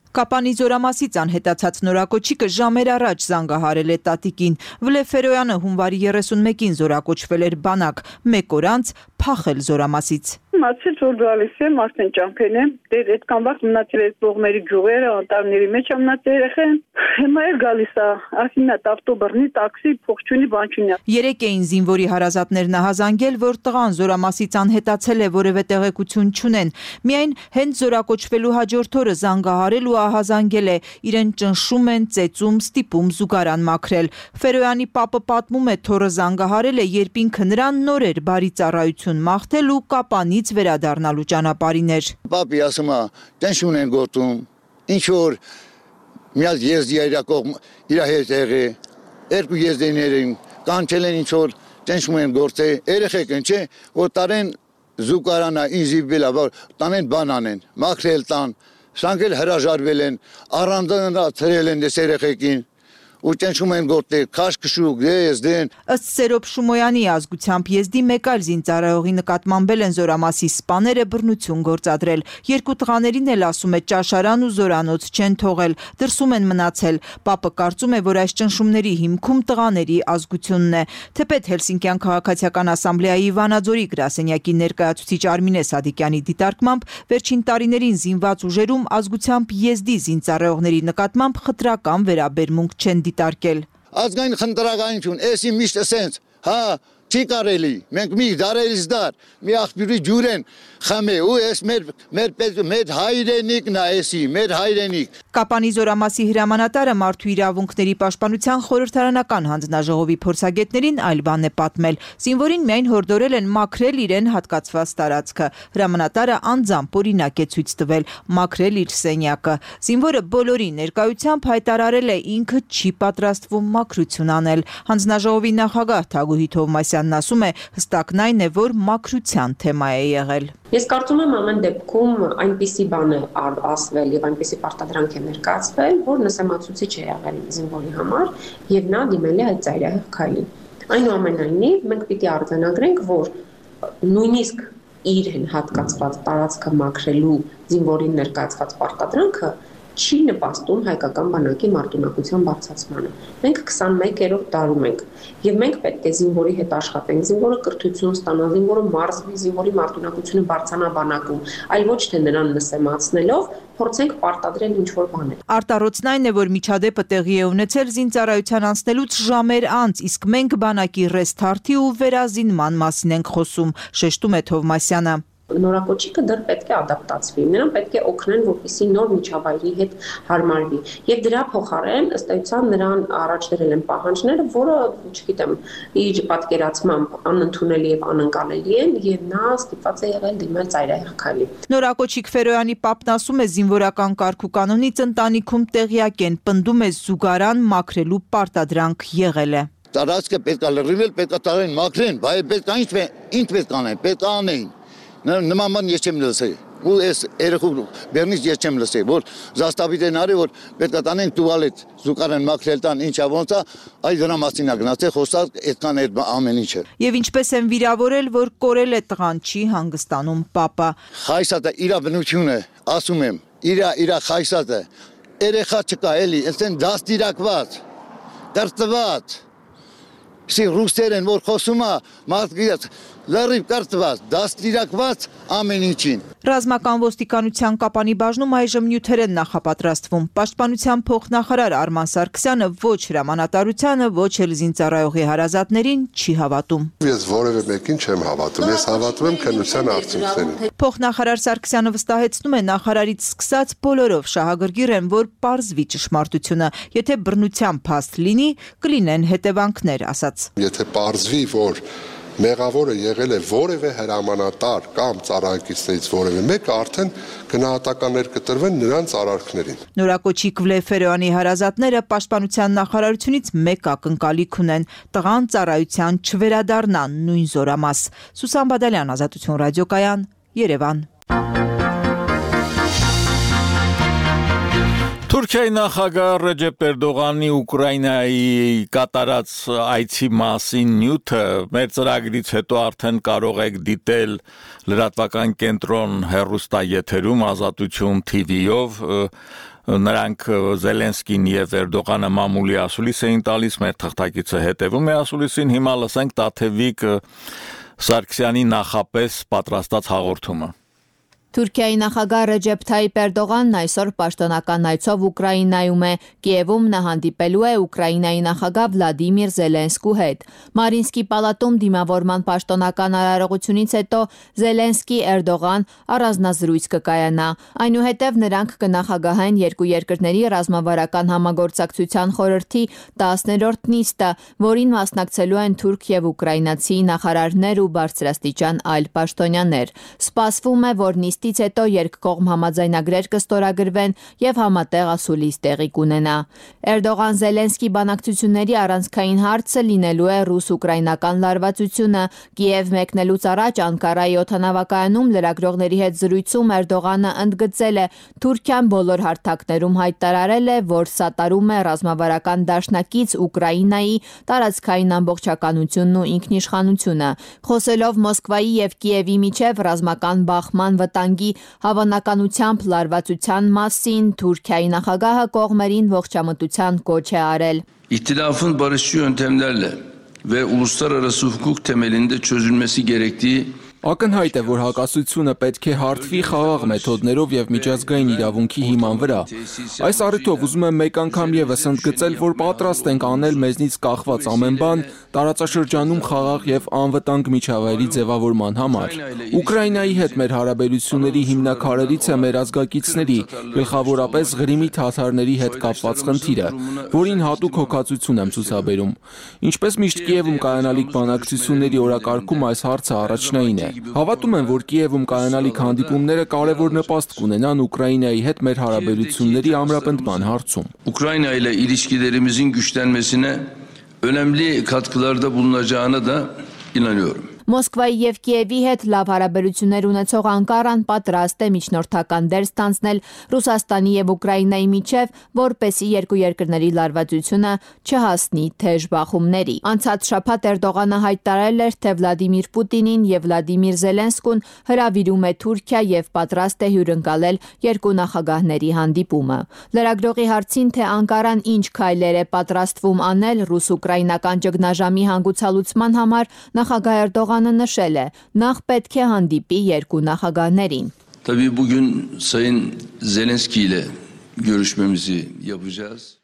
Կապանի զորամասից անհետացած նորակոչիկը ժամեր առաջ զանգահարել է տատիկին։ Վլեֆերոյանը հունվարի երեսունմեկին զորակոչվել էր բանակ, մեկ օր անց փախել զորամասից։ Մացել որ գալիս եմ, արդեն ճամփեն եմ, դեր այդքան վաղ մնացել այդ կողմերի գյուղերը, անտառների մեջ մնացել երեխեն։ Հիմա էլ գալիս է, ասինա ավտոբռնի, տաքսի, փոխչունի, բանչունի։ Երեք էին զինվորի հարազատներն ահազանգել, որ տղան զորամասից անհետացել է, որևէ տեղեկություն չունեն։ Միայն հենց զորակոչվելու հաջորդ օրը զանգահարել ու ահազանգել է, իրեն ճնշում են, ծեծում, ստիպում զուգարան մաքրել։ Ֆերոյանի պապը պատմում է, թոռը զանգահարել է, երբ ինքը նրան նոր էր բարի ծառայություն մաղթել ու Կապանից վերադառնալու ճանապարհին էր։ Պապի ասում է, ճնշում են գոտում, ինչ որ միած եզդի իր կողմ իր հետ եղե, երկու եզդիներին կանչել են ինչ որ ճնշում են գործել, երեխեք են, չէ, որ տարեն զուգարանա ինձի բելա, որ տանեն բան անեն, մաքրել տան, սրանք էլ հրաժարվել են, առանձնացրել են դες երեխեքին։ ու ճնշում են գործել, քաշքշուկ, Եզդեն։ Ըստ Սերոբ Շումոյանի ազգությամբ Եզդի մեկ այլ զինծառայողի նկատմամբ են զորամասի սպաները բռնություն գործադրել։ Երկու տղաներին էլ ասում է ճաշարան ու զորանոց չեն թողել, դրսում են մնացել։ Պապը կարծում է, որ այս ճնշումների հիմքում տղաների ազգությունն է։ Թեպետ Հելսինկյան քաղաքացիական ասամբլեայի Վանաձորի գրասենյակի ներկայացուցիչ Արմինե Սադիկյանի դիտարկմամբ վերջին տարիներին զինված ուժերում ազգությամբ Եզդի զինծառայողների նկատմամբ խտրական վերաբերմունք չեն դիտարկել։ Ազգային խնդրականություն, էսի միշտ ասենց, հա, Չի կարելի։ Մենք մի դարերից դար մի աղբյուրի ջուր են խմե ու էս մեր մեր մեր հայրենիքն է էսի, մեր հայրենիք։ Կապանի զորամասի հրամանատարը մարդու իրավունքների պաշտպանության խորհրդարանական հանձնաժողովի փորձագետներին այլ բան է պատմել։ Զինվորին միայն հորդորել են մաքրել իրեն հատկացված տարածքը։ Հրամանատարը անձամբ օրինակ է ցույց տվել մաքրել իր սենյակը։ Զինվորը բոլորի ներկայությամբ հայտարարել է ինքը չի պատրաստվում մաքրություն անել։ Հանձնաժողովի նախագահ Թագուհի Թովմասյանն ասում է հստակն այն է, որ մաքրության թեմա է եղել։ Ես կարծում եմ ամեն դեպքում այնպիսի բան է ասվել եւ այնպիսի պարտադրանք է ներկայացվել, որ նսեմացուցիչ է եղել զինվորի համար եւ նա դիմել է այդ ծայրահեղ քայլին։ Այնուամենայնիվ մենք պիտի արձանագրենք, որ նույնիսկ իր հատկացված տարածքը մաքրելու զինվորին ներկայացված պարտադրանքը չի նպաստում հայկական բանակի մարտունակության բարձրացմանը։ Մենք քսանմեկերորդ տարում ենք եւ մենք պետք է զինվորի հետ աշխատենք, զինվորը կրթություն ստանա, զինվորը մարզվի, զինվորի մարտունակությունը բարձրանա բանակում, այլ ոչ թե նրան նսեմացնելով փորձենք պարտադրել ինչ-որ բաներ։ Արտառոցն այն է, որ միջադեպը տեղի է ունեցել զինծառայության անցնելուց ժամեր անց, իսկ մենք բանակի ռեսթարթի ու վերազինման մասին ենք խոսում, շեշտում է Թովմասյանը։ Նորակոչիկը դեռ պետք է ադապտացվի, նրան պետք է օգնեն, որպեսզի նոր միջավայրի հետ հարմարվի։ Եվ դրա փոխարեն ըստ էության նրան առաջ դրել են պահանջները, որը, չգիտեմ, իր պատկերացմամբ անընդունելի եւ անընկալելի են, եւ նա ստիպված է եղել դիմել ծայրահեղ քայլի։ Նորակոչիկ Ֆերոյանի պապն ասում է, զինվորական կարգ ու կանոնից ընտանիքում տեղյակ են, պնդում է զուգարան մաքրելու պարտադրանք եղել է։ Տարածքը պետք է լրիվել, պետք է տարեն մաքրեն, բայց պետք է ինչ ինչ պետք անեն, պետք է անեն։ Նման բան ես չեմ լսել։ Ու այս երեխու բերնից ես չեմ լսել, որ զաստավիտ են արի, որ պետք է տանեն տուալետ, զուգարան մաքրել տան, ինչա ոնց է, այ դրա մասին է գնացել, խոսած այդքան այդ ամեն ինչը։ Եվ ինչպես են վիրավորել, որ կորել է տղան, չի հանգստանում պապը։ Խայսատը իր բնությունը, ասում եմ, իր իր խայսատը, երեխա չկա էլի, այսեն դաստիարակված, կրտված։ Սի ռուսերեն որ խոսում է, մարդիկ լրիվ կրտված, դաստիարակված ամեն ինչին։ Ռազմական ոստիկանության Կապանի բաժնում այժմ նյութեր են նախապատրաստվում։ Պաշտպանության փոխնախարար Արման Սարգսյանը ոչ հրամանատարությանը, ոչ էլ զինծառայողի հարազատներին չի հավատում։ Ես որևէ մեկին չեմ հավատում, ես հավատում եմ քննության արդյունքներին։ Փոխնախարար Սարգսյանը վստահեցնում է, նախարարից սկսած բոլորով շահագրգիռ են, որ պարզվի ճշմարտությունը։ Եթե բռնության փաստ լինի, կլինեն հետևանքներ, ասաց։ Եթե պարզվի, որ մեղավորը եղել է որևէ հրամանատար կամ ծառայակիցներից որևէ մեկը, արդեն գնահատականներ կտրվեն նրանց արարքներին։ Նորակոչիկ Ֆերոյանի հարազատները պաշտպանության նախարարությունից մեկ ակնկալիք ունեն՝ տղան ծառայության չվերադառնա նույն զորամաս։ Սուսան Բադալյան, Ազատություն ռադիոկայան, Երևան։ Թուրքիայի նախագահ Ռեջեփ Էրդողանի Ուկրաինայի կատարած այցի մասին նյութը մեր ծրագրից հետո արդեն կարող եք դիտել լրատվական կենտրոն հեռուստաեթերում Ազատություն Թի վի-ով նրանք Զելենսկին եւ Էրդողանը մամուլի ասուլիս էին տալիս, մեր թղթակիցը հետևում է ասուլիսին, հիմա լսենք Տաթևիկ Սարգսյանի նախապես պատրաստած հաղորդումը։ Թուրքիայի նախագահ Ռեջեփ Թայիփ Էրդողանն այսօր պաշտոնական այցով Ուկրաինայում է, Կիևում նա հանդիպելու է Ուկրաինայի նախագահ Վլադիմիր Զելենսկու հետ։ Մարինսկի պալատում դիմավորման պաշտոնական արարողությունից հետո Զելենսկի-Էրդողան առանձնազրույց կկայանա։ Այնուհետև նրանք կնախագահեն երկու երկրների ռազմավարական համագործակցության խորհրդի տասներորդ նիստը, որին մասնակցելու են թուրք եւ ուկրաինացի նախարարներ ու բարձրաստիճան այլ պաշտոնյաներ։ Սպասվում է, որ նիստից հետո երկկողմ համաձայնագրեր կստորագրվեն եւ համատեղ ասուլիս տեղի կունենա։ Էրդողան-Զելենսկի բանակցությունների առանցքային հարցը լինելու է ռուս-ուկրաինական լարվածությունը։ Կիև մեկնելուց առաջ Անկարայի օդանավակայանում լրագրողների հետ զրույցում Էրդողանը ընդգծել է, Թուրքիան բոլոր հարթակներում հայտարարել է, որ սատարում է ռազմավարական դաշնակից Ուկրաինայի տարածքային ամբողջականությունն ու ինքնիշխանությունը։ Խոսելով Մոսկվայի եւ Կիևի միջև ռազմական բախման վտանգի հավանականությամբ լարվածության մասին, Թուրքիայի նախագահը կողմերին ողջամտության կոչ է արել։ İhtilafın barışçı yöntemlerle ve uluslararası hukuk temelinde çözülmesi gerektiği Ակնհայտ է, որ հակասությունը պետք է հարթվի խաղաղ մեթոդներով եւ միջազգային իրավունքի հիման վրա։ Այս առիթով ուզում եմ մեկ անգամ եւս ընդգծել, որ պատրաստ ենք անել մեզնից կախված ամեն բան տարածաշրջանում խաղաղ եւ անվտանգ միջավայրի ձևավորման համար։ Ուկրաինայի հետ մեր հարաբերությունների հիմնաքարերից է մեր ազգակիցների, գլխավորապես Ղրիմի թաթարների հետ կապված խնդիրը, որին հատուկ հոգացություն եմ ցուցաբերում։ Ինչպես միշտ Կիևում կայանալիք բանակցությունների օրակարգում այս հարցը առաջնային է։ Հավատում եմ, որ Կիևում կայանալիք հանդիպումները կարևոր նպաստ կունենան Ուկրաինայի հետ մեր հարաբերությունների ամրապնդման հարցում։ Ukrayna ile ilişkilerimizin güçlenmesine önemli katkılarda bulunacağına da inanıyorum. Մոսկվայի եւ Կիևի հետ լավ հարաբերություններ ունեցող Անկարան պատրաստ է միջնորդական դեր ստանձնել Ռուսաստանի եւ Ուկրաինայի միջև, որպեսզի երկու երկրների լարվածությունը չհասնի թեժ բախումների։ Անցած շաբաթ Էրդողանը հայտարարել էր, թե Վլադիմիր Պուտինին եւ Վլադիմիր Զելենսկուն հրավիրում է Թուրքիա եւ պատրաստ է հյուրընկալել երկու նախագահների հանդիպումը։ Լրագրողի հարցին, թե Անկարան ինչ քայլեր է պատրաստվում անել ռուս-ուկրաինական ճգնաժամի հանգուցալուծման համար, նախագահ Էրդողանը նշել է, նախ պետք է հանդիպի երկու նախագահներին։ Tabii bugün Sayın Zelenski ile görüşmemizi yapacağız.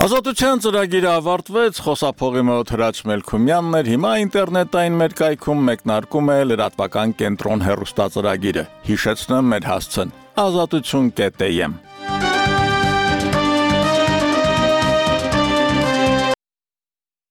Ազատության ծրագիրը ավարտվեց, խոսափողի մոտ Հրաչ Մելքումյանն էր, հիմա ինտերնետային մեր կայքում մեկնարկում է լրատվական կենտրոն հեռուստածրագիրը։ Հիշեցնեմ մեր հասցեն ազատություն կետ էմ